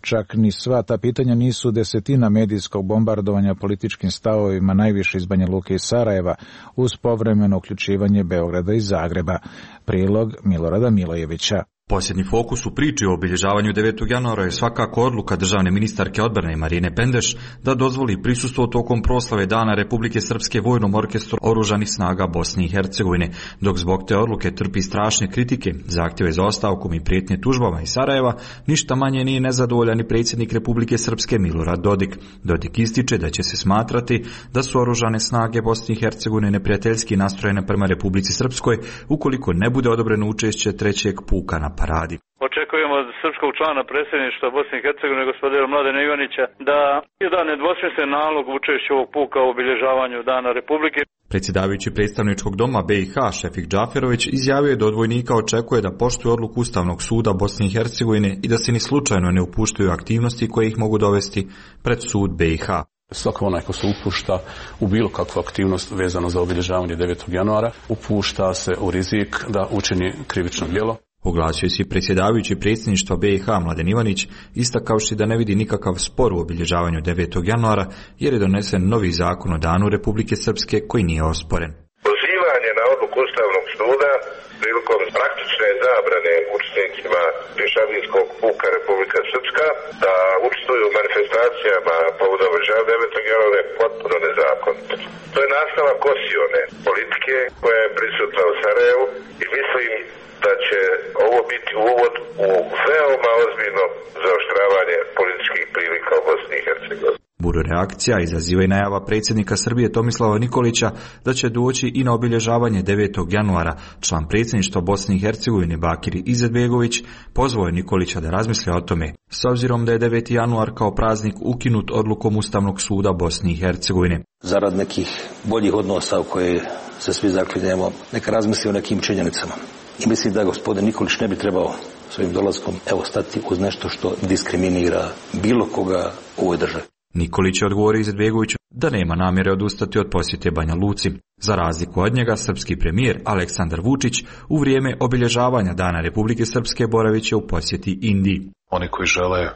Čak ni sva ta pitanja nisu desetina medijskog bombardovanja političkim stavovima najviše iz Banja Luke i Sarajeva uz povremeno uključivanje Beograda i Zagreba. Prilog Milorada Milojevića. Posljednji fokus u priči o obilježavanju devetog januara je svakako odluka državne ministarke odbrane Marine Pendeš da dozvoli prisustvo tokom proslave Dana Republike Srpske vojnom orkestru oružanih snaga Bosne i Hercegovine, dok zbog te odluke trpi strašne kritike, zahtjeve za ostavkom i prijetnje tužbama iz Sarajeva, ništa manje nije nezadovoljan i predsjednik Republike Srpske Milorad Dodik. Dodik ističe da će se smatrati da su oružane snage Bosne i Hercegovine neprijateljski nastrojene prema Republici Srpskoj ukoliko ne bude odobreno učešće trećeg puka na paradi. Očekujemo od srpskog člana predsjedništva Bosne i Hercegovine gospodina Mladena Ivanića da je da nedvosmislen nalog učešću ovog puka u obilježavanju Dana Republike. Predsjedavajući predstavničkog doma B i H Šefik Džaferović izjavio je da od vojnika očekuje da poštuju odluku Ustavnog suda Bosne i Hercegovine i da se ni slučajno ne upuštaju aktivnosti koje ih mogu dovesti pred sud B i H. Svako onaj ko se upušta u bilo kakvu aktivnost vezano za obilježavanje devetog januara upušta se u rizik da učini krivično djelo. Oglasio se predsjedavajući predsjedništva B i H Mladen Ivanić, istakavši da ne vidi nikakav spor u obilježavanju devetog januara jer je donesen novi zakon o Danu Republike Srpske koji nije osporen. Pozivanje na odluku Ustavnog suda prilikom praktične zabrane učesnicima pješadijskog puka Republika Srpska da učestvuju u manifestacijama povodom obilježavanja devetog januara je potpuno nezakonito. To je nastavak osione politike koja je prisutna u Sarajevu i mislim da će ovo biti uvod u veoma ozbiljno zaoštravanje političkih prilika u Bosni i Hercegovini. Buru reakcija izaziva i najava predsjednika Srbije Tomislava Nikolića da će doći i na obilježavanje devetog januara. Član predsjedništva Bosne i Hercegovine Bakir Izetbegović pozvao je Nikolića da razmisli o tome, s obzirom da je deveti januar kao praznik ukinut odlukom Ustavnog suda Bosne i Hercegovine. Zarad nekih boljih odnosa u koje se svi zaklinjemo, neka razmisli o nekim činjenicama. I mislim da gospodin Nikolić ne bi trebao svojim dolaskom evo stati uz nešto što diskriminira bilo koga u ovoj državi. Nikolić je odgovorio Izetbegoviću da nema namjere odustati od posjete Banja Luci. Za razliku od njega, srpski premijer Aleksandar Vučić u vrijeme obilježavanja Dana Republike Srpske boravit će u posjeti Indiji. Oni koji žele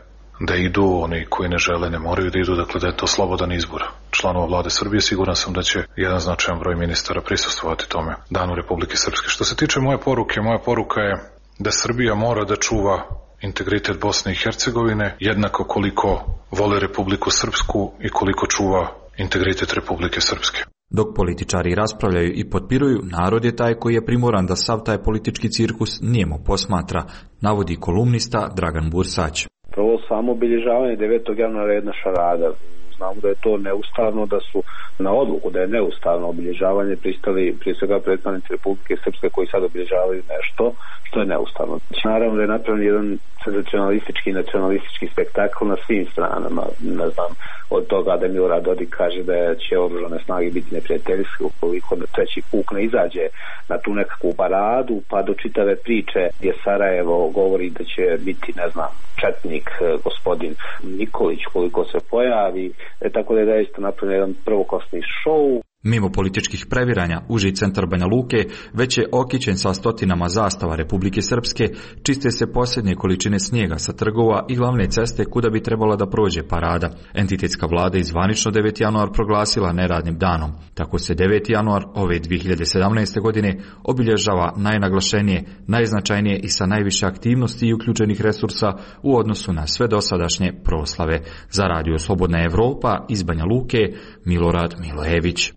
da idu, oni koji ne žele ne moraju da idu, dakle da je to slobodan izbor članova vlade Srbije. Siguran sam da će jedan značajan broj ministara prisustvovati tome Danu Republike Srpske. Što se tiče moje poruke, moja poruka je da Srbija mora da čuva integritet Bosne i Hercegovine jednako koliko vole Republiku Srpsku i koliko čuva integritet Republike Srpske. Dok političari raspravljaju i potpiruju, narod je taj koji je primoran da sav taj politički cirkus nijemo posmatra, navodi kolumnista Dragan Bursać. Prvo samo obilježavanje devetog januara je jedna šarada. Znamo da je to neustavno, da su na odluku da je neustavno obilježavanje pristali prije svega predstavnici Republike Srpske koji sad obilježavaju nešto što je neustavno. Naravno da je napravljen jedan senzacionalistički i nacionalistički spektakl na svim stranama. Ne znam, od toga da Milorad Dodik kaže da će oružane snage biti neprijateljske ukoliko na treći puk ne izađe na tu nekakvu paradu, pa do čitave priče gdje Sarajevo govori da će biti, ne znam, četnik gospodin Nikolić koliko se pojavi, e, tako da je zaista napravljen jedan prvoklasni šou. Mimo političkih previranja, uži centar Banja Luke već je okićen sa stotinama zastava Republike Srpske, čiste se posljednje količine snijega sa trgova i glavne ceste kuda bi trebala da prođe parada. Entitetska vlada je zvanično deveti januar proglasila neradnim danom. Tako se deveti januar ove dvije hiljade sedamnaeste. godine obilježava najnaglašenije, najznačajnije i sa najviše aktivnosti i uključenih resursa u odnosu na sve dosadašnje proslave. Za Radio Slobodna Evropa iz Banja Luke, Milorad Milojević.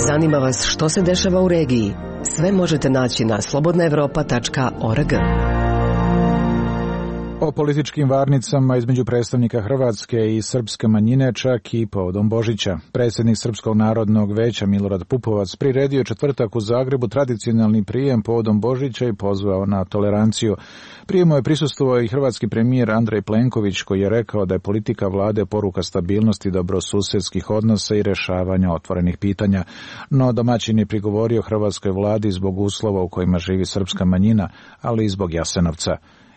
Zanima vas što se dešava u regiji? Sve možete naći na slobodna evropa tačka org. O političkim varnicama između predstavnika hrvatske i srpske manjine čak i povodom Božića. Predsjednik Srpskog narodnog veća Milorad Pupovac priredio četvrtak u Zagrebu tradicionalni prijem povodom Božića i pozvao na toleranciju. Prijemu je prisustvovao i hrvatski premijer Andrej Plenković koji je rekao da je politika vlade poruka stabilnosti, dobrosusedskih odnosa i rješavanja otvorenih pitanja. No domaćin je prigovorio hrvatskoj vladi zbog uslova u kojima živi srpska manjina, ali i zbog Jasenovca.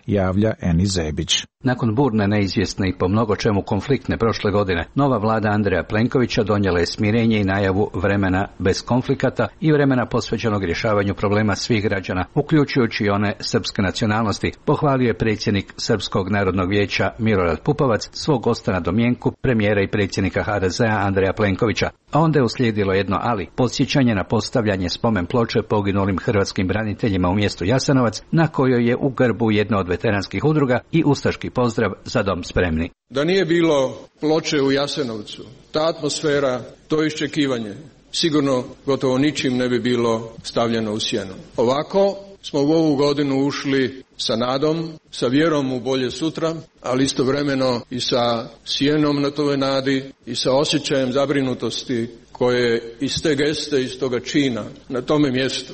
Javlja Eni Zebić. Nakon burne, neizvjesne i po mnogo čemu konfliktne prošle godine, nova vlada Andreja Plenkovića donijela je smirenje i najavu vremena bez konflikata i vremena posvećenog rješavanju problema svih građana, uključujući i one srpske nacionalnosti, pohvalio je predsjednik Srpskog narodnog vijeća Milorad Pupovac svog gosta na domjenku, premijera i predsjednika ha de zea Andreja Plenkovića. A onda je uslijedilo jedno ali, podsjećanje na postavljanje spomen ploče poginulim hrvatskim braniteljima u mjestu Jasenovac, na kojoj je u grbu jedna od veteranskih udruga i ustaški pozdrav Za dom spremni. Da nije bilo ploče u Jasenovcu, ta atmosfera, to iščekivanje, sigurno gotovo ničim ne bi bilo stavljeno u sjenu. Ovako smo u ovu godinu ušli sa nadom, sa vjerom u bolje sutra, ali istovremeno i sa sjenom na toj nadi i sa osjećajem zabrinutosti koje iz te geste, iz toga čina na tome mjestu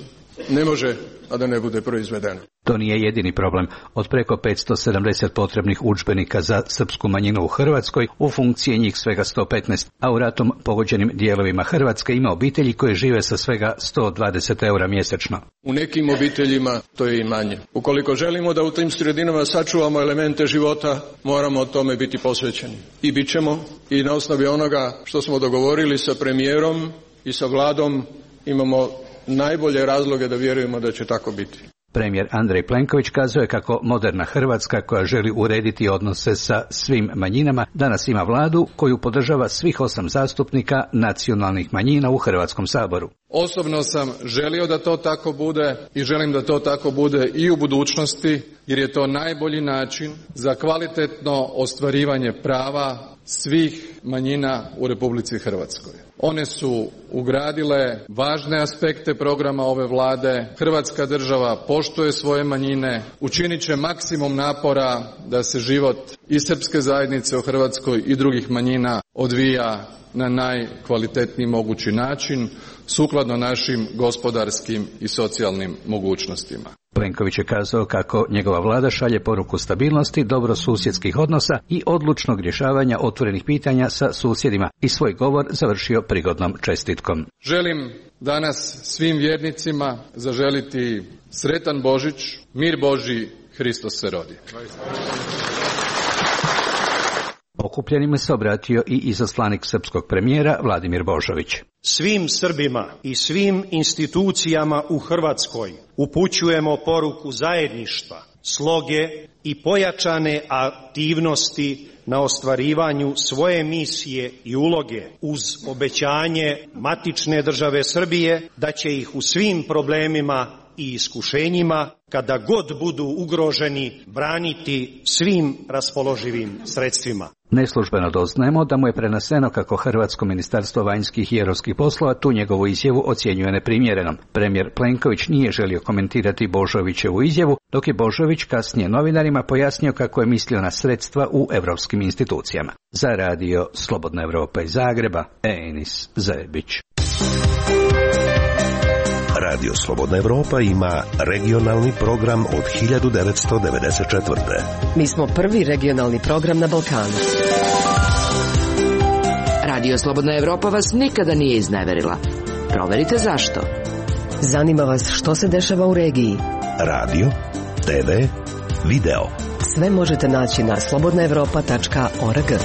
ne može, a da ne bude proizvedeno. To nije jedini problem. Od preko petsto sedamdeset potrebnih udžbenika za srpsku manjinu u Hrvatskoj, u funkciji njih svega sto petnaest, a u ratom pogođenim dijelovima Hrvatske ima obitelji koje žive sa svega sto dvadeset eura mjesečno. U nekim obiteljima to je i manje. Ukoliko želimo da u tim sredinama sačuvamo elemente života, moramo o tome biti posvećeni. I bit ćemo, i na osnovi onoga što smo dogovorili sa premijerom i sa vladom imamo najbolje razloge da vjerujemo da će tako biti. Premijer Andrej Plenković kazuje kako moderna Hrvatska koja želi urediti odnose sa svim manjinama danas ima vladu koju podržava svih osam zastupnika nacionalnih manjina u Hrvatskom saboru. Osobno sam želio da to tako bude i želim da to tako bude i u budućnosti, jer je to najbolji način za kvalitetno ostvarivanje prava svih manjina u Republici Hrvatskoj. One su ugradile važne aspekte programa ove vlade. Hrvatska država poštuje svoje manjine, učinit će maksimum napora da se život i srpske zajednice u Hrvatskoj i drugih manjina odvija na najkvalitetniji mogući način, sukladno našim gospodarskim i socijalnim mogućnostima. Plenković je kazao kako njegova vlada šalje poruku stabilnosti, dobrosusjedskih odnosa i odlučnog rješavanja otvorenih pitanja sa susjedima i svoj govor završio prigodnom čestitkom. Želim danas svim vjernicima zaželiti sretan Božić, mir Božji, Hristos se rodi. Okupljenima se obratio i izaslanik srpskog premijera Vladimir Božović. Svim Srbima i svim institucijama u Hrvatskoj upućujemo poruku zajedništva, sloge i pojačane aktivnosti na ostvarivanju svoje misije i uloge uz obećanje matične države Srbije da će ih u svim problemima i iskušenjima, kada god budu ugroženi, braniti svim raspoloživim sredstvima. Neslužbeno doznajemo da mu je preneseno kako Hrvatsko ministarstvo vanjskih i europskih poslova tu njegovu izjavu ocjenjuje neprimjerenom. Premijer Plenković nije želio komentirati Božovićevu izjavu, dok je Božović kasnije novinarima pojasnio kako je mislio na sredstva u europskim institucijama. Za radio Slobodna Evropa iz Zagreba, Enis Zebić. Radio Slobodna Evropa ima regionalni program od hiljadu devetsto devedeset četvrte. Mi smo prvi regionalni program na Balkanu. Radio Slobodna Evropa vas nikada nije izneverila. Proverite zašto. Zanima vas što se dešava u regiji. Radio, te ve, video. Sve možete naći na slobodna evropa tačka org.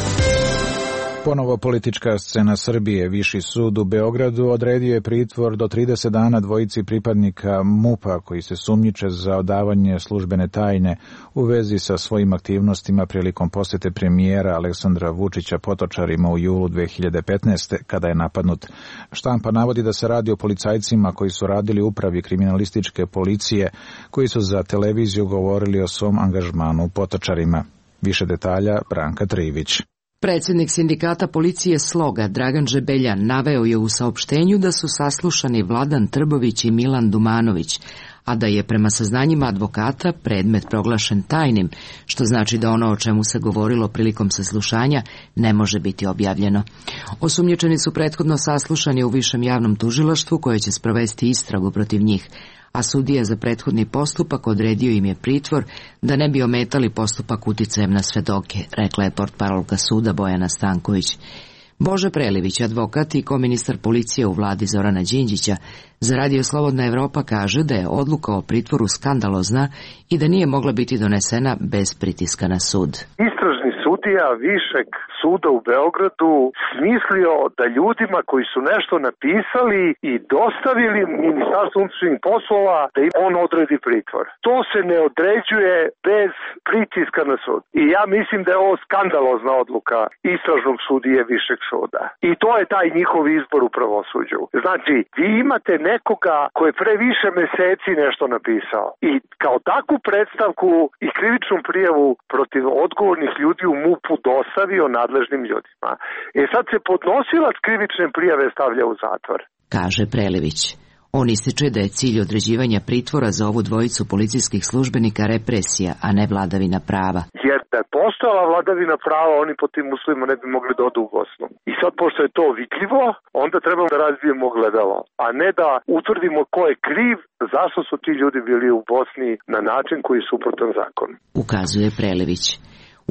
Ponovo politička scena Srbije. Viši sud u Beogradu odredio je pritvor do trideset dana dvojici pripadnika MUP-a koji se sumnjiče za odavanje službene tajne u vezi sa svojim aktivnostima prilikom posjete premijera Aleksandra Vučića Potočarima u julu dve hiljade petnaeste. kada je napadnut. Štampa navodi da se radi o policajcima koji su radili u upravi kriminalističke policije, koji su za televiziju govorili o svom angažmanu u Potočarima. Više detalja Branka Trivić. Predsjednik sindikata policije Sloga Dragan Žebeljan naveo je u saopštenju da su saslušani Vladan Trbović i Milan Dumanović, a da je prema saznanjima advokata predmet proglašen tajnim, što znači da ono o čemu se govorilo prilikom saslušanja ne može biti objavljeno. Osumnjičeni su prethodno saslušani u Višem javnom tužilaštvu koje će sprovesti istragu protiv njih, a sudija za prethodni postupak odredio im je pritvor da ne bi ometali postupak uticajem na svedoke, rekla je portparolka suda Bojana Stanković. Bože Prelivić, advokat i koministar policije u vladi Zorana Đinđića, za Radio Slobodna Evropa kaže da je odluka o pritvoru skandalozna i da nije mogla biti donesena bez pritiska na sud. Istražni sudija Višeg suda u Beogradu smislio da ljudima koji su nešto napisali i dostavili Ministarstvu unutrašnjih poslova da im on odredi pritvor. To se ne određuje bez pritiska na sud. I ja mislim da je ovo skandalozna odluka istražnog sudije Višeg suda. I to je taj njihov izbor u pravosuđu. Znači, vi imate nekoga koji je pre više meseci nešto napisao i kao takvu predstavku i krivičnu prijavu protiv odgovornih ljudi u MUP-u dostavio nadležnim ljudima. E sad se podnosilac krivične prijave stavlja u zatvor. Kaže Prelivić. On ističe da je cilj određivanja pritvora za ovu dvojicu policijskih službenika represija, a ne vladavina prava. Jer da je postojala vladavina prava, oni po tim uslovima ne bi mogli da odu u Bosnu. I sad, pošto je to vidljivo, onda trebamo da razvijemo gledalo, a ne da utvrdimo ko je kriv, zašto su ti ljudi bili u Bosni na način koji je suprotan zakonu. Ukazuje Prelivić.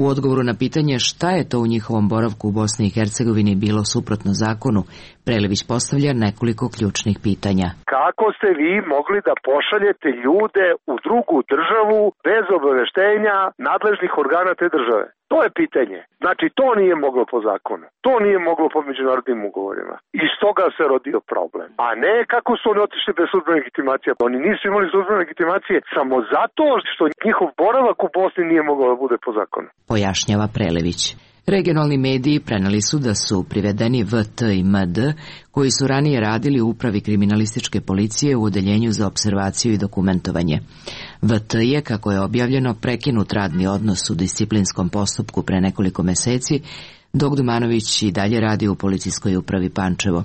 U odgovoru na pitanje šta je to u njihovom boravku u Bosni i Hercegovini bilo suprotno zakonu, Prelević postavlja nekoliko ključnih pitanja. Kako ste vi mogli da pošaljete ljude u drugu državu bez obaveštenja nadležnih organa te države? To je pitanje. Znači, to nije moglo po zakonu. To nije moglo po međunarodnim ugovorima. I iz toga se rodio problem. A ne kako su oni otišli bez službene legitimacije. Oni nisu imali službene legitimacije samo zato što njihov boravak u Bosni nije mogao da bude po zakonu. Pojašnjava Prelević. Regionalni mediji preneli su da su privedeni V T i M D, koji su ranije radili u upravi kriminalističke policije u odeljenju za observaciju i dokumentovanje. V T je, kako je objavljeno, prekinut radni odnos u disciplinskom postupku pre nekoliko meseci, dok Dumanović i dalje radi u policijskoj upravi Pančevo.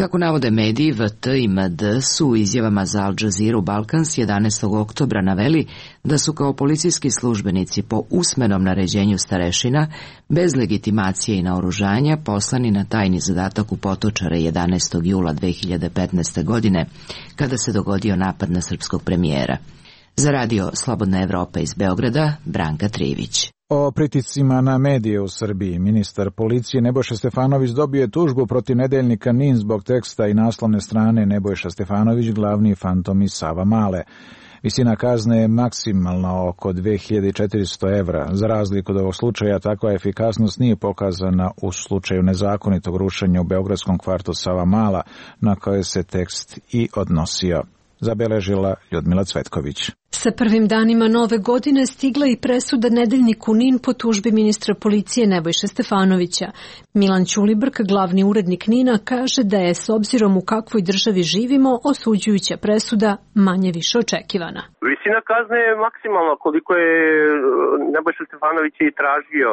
Kako navode mediji, V T i M D su u izjavama za Al Jazeera Balkans jedanaestog oktobra naveli da su kao policijski službenici po usmenom naređenju starešina, bez legitimacije i naoružanja, poslani na tajni zadatak u Potočare jedanaestog jula dve hiljade petnaeste. godine, kada se dogodio napad na srpskog premijera. Za radio Slobodna Evropa iz Beograda, Branka Trivić. O pritiscima na medije u Srbiji ministar policije Nebojša Stefanović dobio je tužbu protiv nedeljnika N I N zbog teksta i naslovne strane Nebojša Stefanović, glavni fantom iz Savamale. Visina kazne je maksimalno oko dve hiljade četiristo evra. Za razliku od ovog slučaja, takva efikasnost nije pokazana u slučaju nezakonitog rušenja u beogradskom kvartu Savamala, na koje se tekst i odnosio. Zabeležila Ljudmila Cvetković. Sa prvim danima nove godine stigla i presuda nedeljniku N I N po tužbi ministra policije Nebojše Stefanovića. Milan Ćulibrk, glavni urednik N I N-a, kaže da je, s obzirom u kakvoj državi živimo, osuđujuća presuda manje više očekivana. Visina kazne je maksimalna koliko je Nebojša Stefanović i tražio,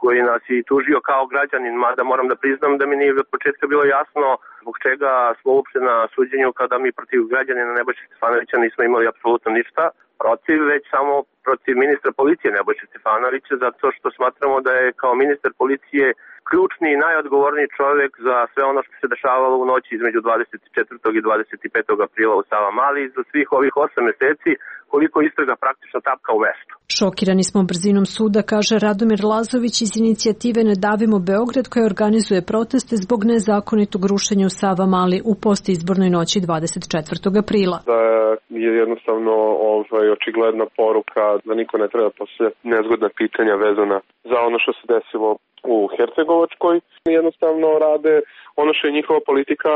koji nas i tužio kao građanin, mada moram da priznam da mi nije od početka bilo jasno zbog čega smo uopšte na suđenju kada mi protiv građanina Nebojša Stefanovića nismo imali apsolutno ništa protiv, već samo protiv ministra policije Nebojša Stefanovića, zato što smatramo da je kao ministar policije ključni i najodgovorniji čovjek za sve ono što se dešavalo u noći između dvadeset četvrtog i dvadeset petog aprila u Savamali i za svih ovih osam meseci koliko istraga praktično tapka u mestu. Šokirani smo brzinom suda, kaže Radomir Lazović iz inicijative Ne davimo Beograd, koja organizuje proteste zbog nezakonitog rušenja u Savamali u postizbornoj noći dvadeset četvrtog aprila. Da je jednostavno ovaj, očigledna poruka da niko ne treba postavljati nezgodna pitanja vezana za ono što se desilo u Hercegovačkoj. Jednostavno rade ono što je njihova politika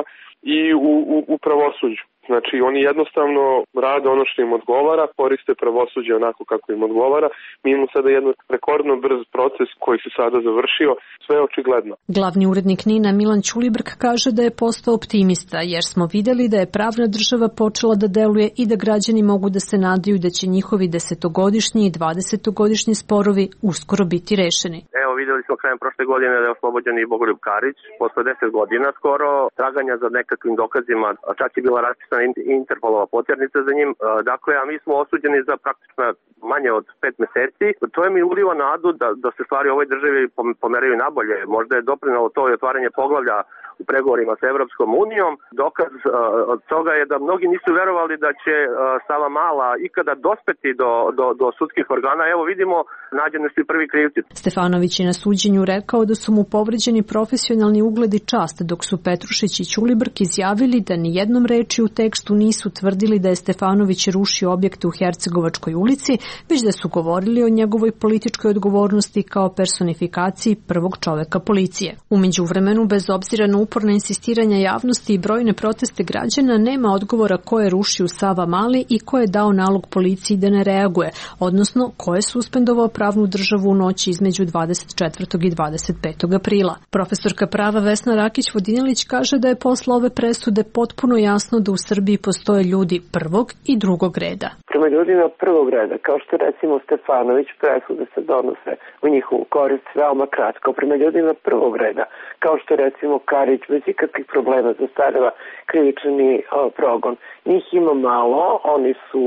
i u, u, u pravosuđu. Znači, oni jednostavno rade ono što im odgovara, koriste pravosuđe onako kako im odgovara. Mi imamo sada jedan rekordno brz proces koji se sada završio, sve je očigledno. Glavni urednik N I N-a Milan Ćulibrk kaže da je postao optimista, jer smo videli da je pravna država počela da deluje i da građani mogu da se nadaju da će njihovi desetogodišnji i dvadesetogodišnji sporovi uskoro biti rešeni. Evo, videli smo krajem prošle godine da je oslobođen i Bogoljub Karić, posle deset godina skoro, traganja za nekakvim dokazima, čak je bila raspisana Interpolova potjernica za njim. Dakle, a mi smo osuđeni za praktično manje od pet meseci. To je mi uliva nadu da, da se stvari u ovoj državi pomeraju nabolje. Možda je doprinalo to i otvaranje poglavlja u pregovorima sa Evropskom unijom. Dokaz uh, od toga je da mnogi nisu verovali da će uh, Savamala ikada dospeti do, do, do sudskih organa. Evo vidimo, nađeni su i prvi krivci. Stefanović je na suđenju rekao da su mu povređeni profesionalni ugled i čast, dok su Petrušić i Ćulibrk izjavili da ni jednom reči u tekstu nisu tvrdili da je Stefanović rušio objekte u Hercegovačkoj ulici, već da su govorili o njegovoj političkoj odgovornosti kao personifikaciji prvog čoveka policije. U međuvremenu, bez obzira na uporna insistiranja javnosti i brojne proteste građana, nema odgovora ko je rušio Savamali i ko je dao nalog policiji da ne reaguje, odnosno ko je suspendovao pravnu državu u noći između dvadeset četvrtog i dvadeset petog aprila. Profesorka prava Vesna Rakić-Vodinelić kaže da je posle ove presude potpuno jasno da u Srbiji postoje ljudi prvog i drugog reda. Prema ljudima prvog reda, kao što recimo Stefanović, presude se donose u njihovu korist veoma kratko. Prema ljudima prvog reda, kao što recimo Karić, bez ikakvih problema zastareva krivični o, progon. Njih ima malo, oni su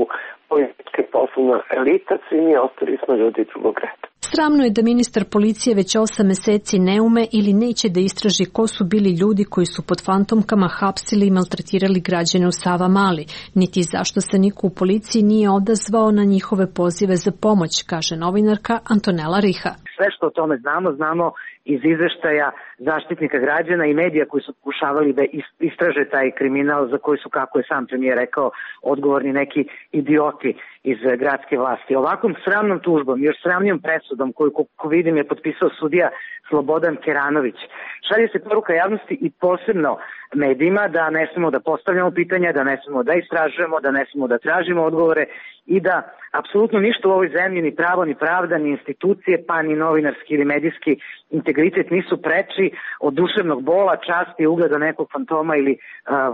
politička poslovna elita, svi mi ostali smo ljudi drugog reda. Sramno je da ministar policije već osam meseci ne ume ili neće da istraži ko su bili ljudi koji su pod fantomkama hapsili i maltretirali građane u Savamali, niti zašto se niko u policiji nije odazvao na njihove pozive za pomoć, kaže novinarka Antonela Riha. Sve što o tome znamo, znamo iz izveštaja Zaštitnika građana i medija koji su pokušavali da istraže taj kriminal za koji su, kako je sam premijer rekao, odgovorni neki idioti iz gradske vlasti. Ovakvom sramnom tužbom, još sramnijom presudom koju, ko vidim, je potpisao sudija Slobodan Keranović, šalje se poruka javnosti i posebno medijima da ne smemo da postavljamo pitanja, da ne smemo da istražujemo, da ne smemo da tražimo odgovore i da apsolutno ništa u ovoj zemlji, ni pravo, ni pravda, ni institucije, pa ni novinarski ili medijski integritet nisu preči od duševnog bola, časti i ugleda nekog fantoma ili a,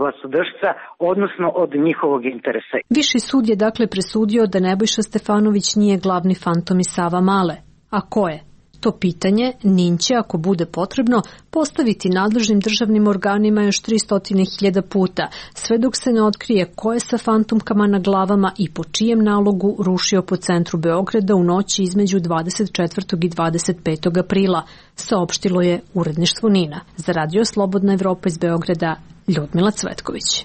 vlastodržca, odnosno od njihovog interesa. Viši sud je dakle presudio da Nebojša Stefanović nije glavni fantom iz Savamale. A ko je? To pitanje Nin će, ako bude potrebno, postaviti nadležnim državnim organima još tristo hiljada puta, sve dok se ne otkrije ko je sa fantomkama na glavama i po čijem nalogu rušio po centru Beograda u noći između dvadeset četvrtog i dvadeset petog aprila, saopštilo je uredništvo Nina. Za Radio Slobodna Evropa iz Beograda, Ljudmila Cvetković.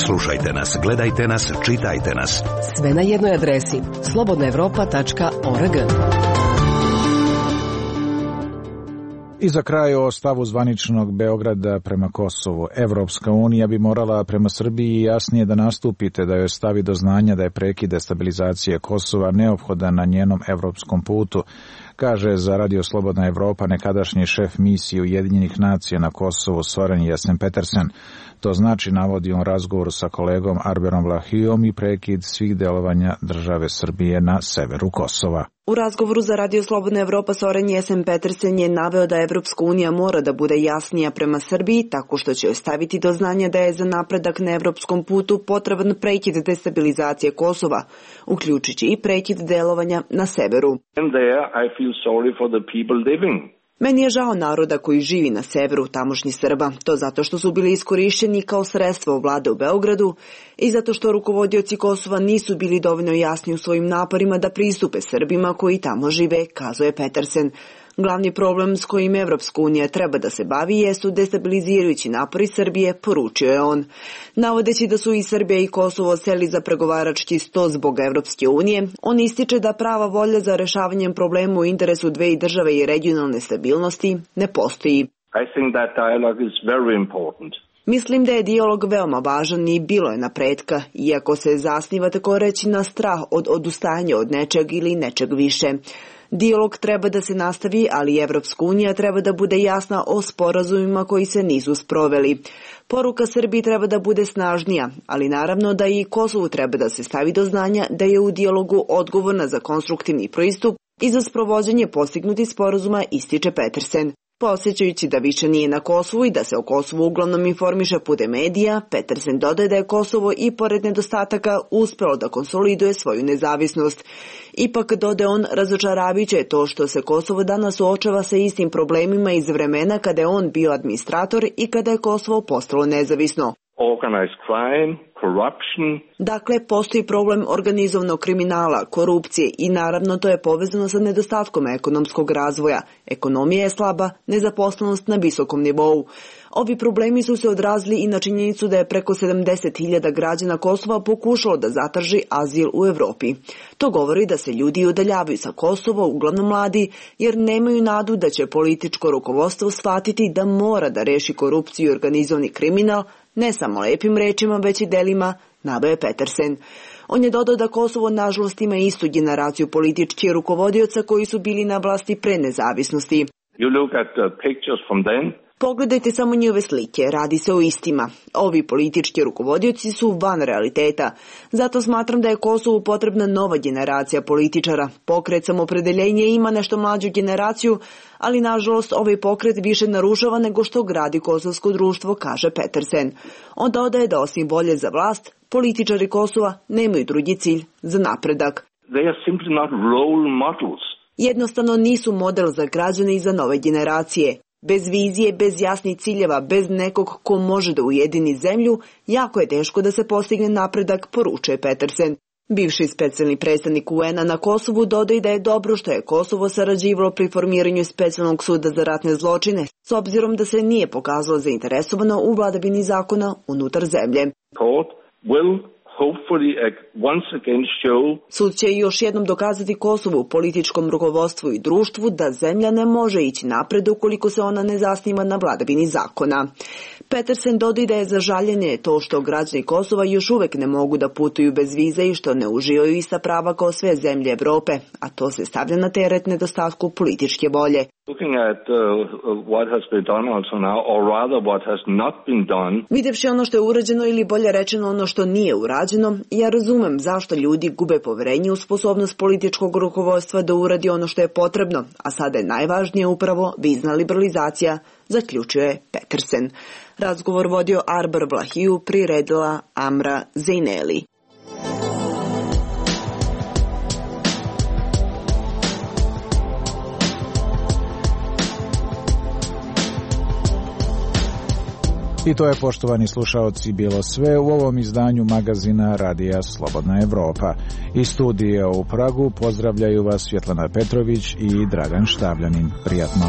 Slušajte nas, gledajte nas, čitajte nas. Sve na jednoj adresi slobodna evropa tačka org. I za kraj o stavu zvaničnog Beograda prema Kosovu. Evropska unija bi morala prema Srbiji jasnije da nastupite, da joj stavi do znanja da je prekid destabilizacije Kosova neophodan na njenom evropskom putu, kaže za Radio Slobodna Evropa nekadašnji šef misije Ujedinjenih nacija na Kosovu Soren Jessen-Petersen. To znači, navodi on razgovoru sa kolegom Arberom Vlahijom, i prekid svih delovanja države Srbije na severu Kosova. U razgovoru za Radio Slobodna Evropa Soren Jessen-Petersen je naveo da Evropska unija mora da bude jasnija prema Srbiji, tako što će joj staviti do znanja da je za napredak na evropskom putu potreban prekid destabilizacije Kosova, uključujući i prekid delovanja na severu. And there I feel sorry for the people living. Meni je žao naroda koji živi na severu tamošnji Srba, to zato što su bili iskorišćeni kao sredstvo vlade u Beogradu i zato što rukovodioci Kosova nisu bili dovoljno jasni u svojim naporima da pristupe Srbima koji tamo žive, kazuje Petersen. Glavni problem s kojim Evropska unija treba da se bavi jesu destabilizirajući napori Srbije, poručio je on. Navodeći da su i Srbija i Kosovo seli za pregovarački sto zbog Evropske unije, on ističe da prava volja za rešavanjem problema u interesu dve države i regionalne stabilnosti ne postoji. I think that dialogue is very important. Mislim da je dijalog veoma važan i bilo je napretka, iako se zasniva tako reći na strah od odustajanja od nečeg ili nečeg više. Dijalog treba da se nastavi, ali Evropska unija treba da bude jasna o sporazumima koji se nisu sproveli. Poruka Srbiji treba da bude snažnija, ali naravno da i Kosovu treba da se stavi do znanja da je u dijalogu odgovorna za konstruktivni pristup i za sprovođenje postignutih sporazuma, ističe Petersen. Posjećajući da više nije na Kosovu i da se o Kosovu uglavnom informiše putem medija, Petersen dodaje da je Kosovo i pored nedostataka uspelo da konsoliduje svoju nezavisnost. Ipak, dodaje on, razočaravajuće je to što se Kosovo danas suočava sa istim problemima iz vremena kada je on bio administrator i kada je Kosovo postalo nezavisno. Organized crime, corruption. Dakle, postoji problem organizovanog kriminala, korupcije i naravno to je povezano sa nedostatkom ekonomskog razvoja. Ekonomija je slaba, nezaposlenost na visokom nivou. Ovi problemi su se odrazili i na činjenicu da je preko sedamdeset hiljada građana Kosova pokušalo da zatraži azil u Evropi. To govori da se ljudi udaljavaju sa Kosova, uglavnom mladi, jer nemaju nadu da će političko rukovodstvo shvatiti da mora da reši korupciju i organizovani kriminal, ne samo lepim rečima, već i delima, naveo je Petersen. On je dodao da Kosovo nažalost ima istu generaciju političkih rukovodioca koji su bili na vlasti pre nezavisnosti. You look at the pictures from then. Pogledajte samo njihove slike, radi se o istima. Ovi politički rukovodioci su van realiteta. Zato smatram da je Kosovu potrebna nova generacija političara. Pokret Samopredeljenje ima nešto mlađu generaciju, ali nažalost ovaj pokret više narušava nego što gradi kosovsko društvo, kaže Petersen. On dodaje da osim volje za vlast, političari Kosova nemaju drugi cilj za napredak. They are simply not role models. Jednostavno nisu model za građane i za nove generacije. Bez vizije, bez jasnih ciljeva, bez nekog ko može da ujedini zemlju, jako je teško da se postigne napredak, poručuje Petersen. Bivši specijalni predstavnik U N-a na Kosovu dodaje da je dobro što je Kosovo sarađivalo pri formiranju specijalnog suda za ratne zločine, s obzirom da se nije pokazalo zainteresovano u vladavini zakona unutar zemlje. Sud će još jednom dokazati Kosovu, političkom rukovodstvu i društvu da zemlja ne može ići napred ukoliko se ona ne zasniva na vladavini zakona. Petersen dodaje da je za žaljenje to što građani Kosova još uvek ne mogu da putuju bez vize i što ne uživaju ista prava kao sve zemlje Evrope, a to se stavlja na teret nedostatku političke volje. Videvši ono što je urađeno ili bolje rečeno ono što nije urađeno, ja razumem zašto ljudi gube poverenje u sposobnost političkog rukovodstva da uradi ono što je potrebno, a sada je najvažnije upravo vizna liberalizacija, zaključuje Petersen. Razgovor vodio Arbar Vlahiju, priredila Amra Zejneli. I to je, poštovani slušaoci, bilo sve u ovom izdanju magazina Radija Slobodna Evropa. Iz studija u Pragu pozdravljaju vas Svjetlana Petrović i Dragan Štavljanin. Prijatno.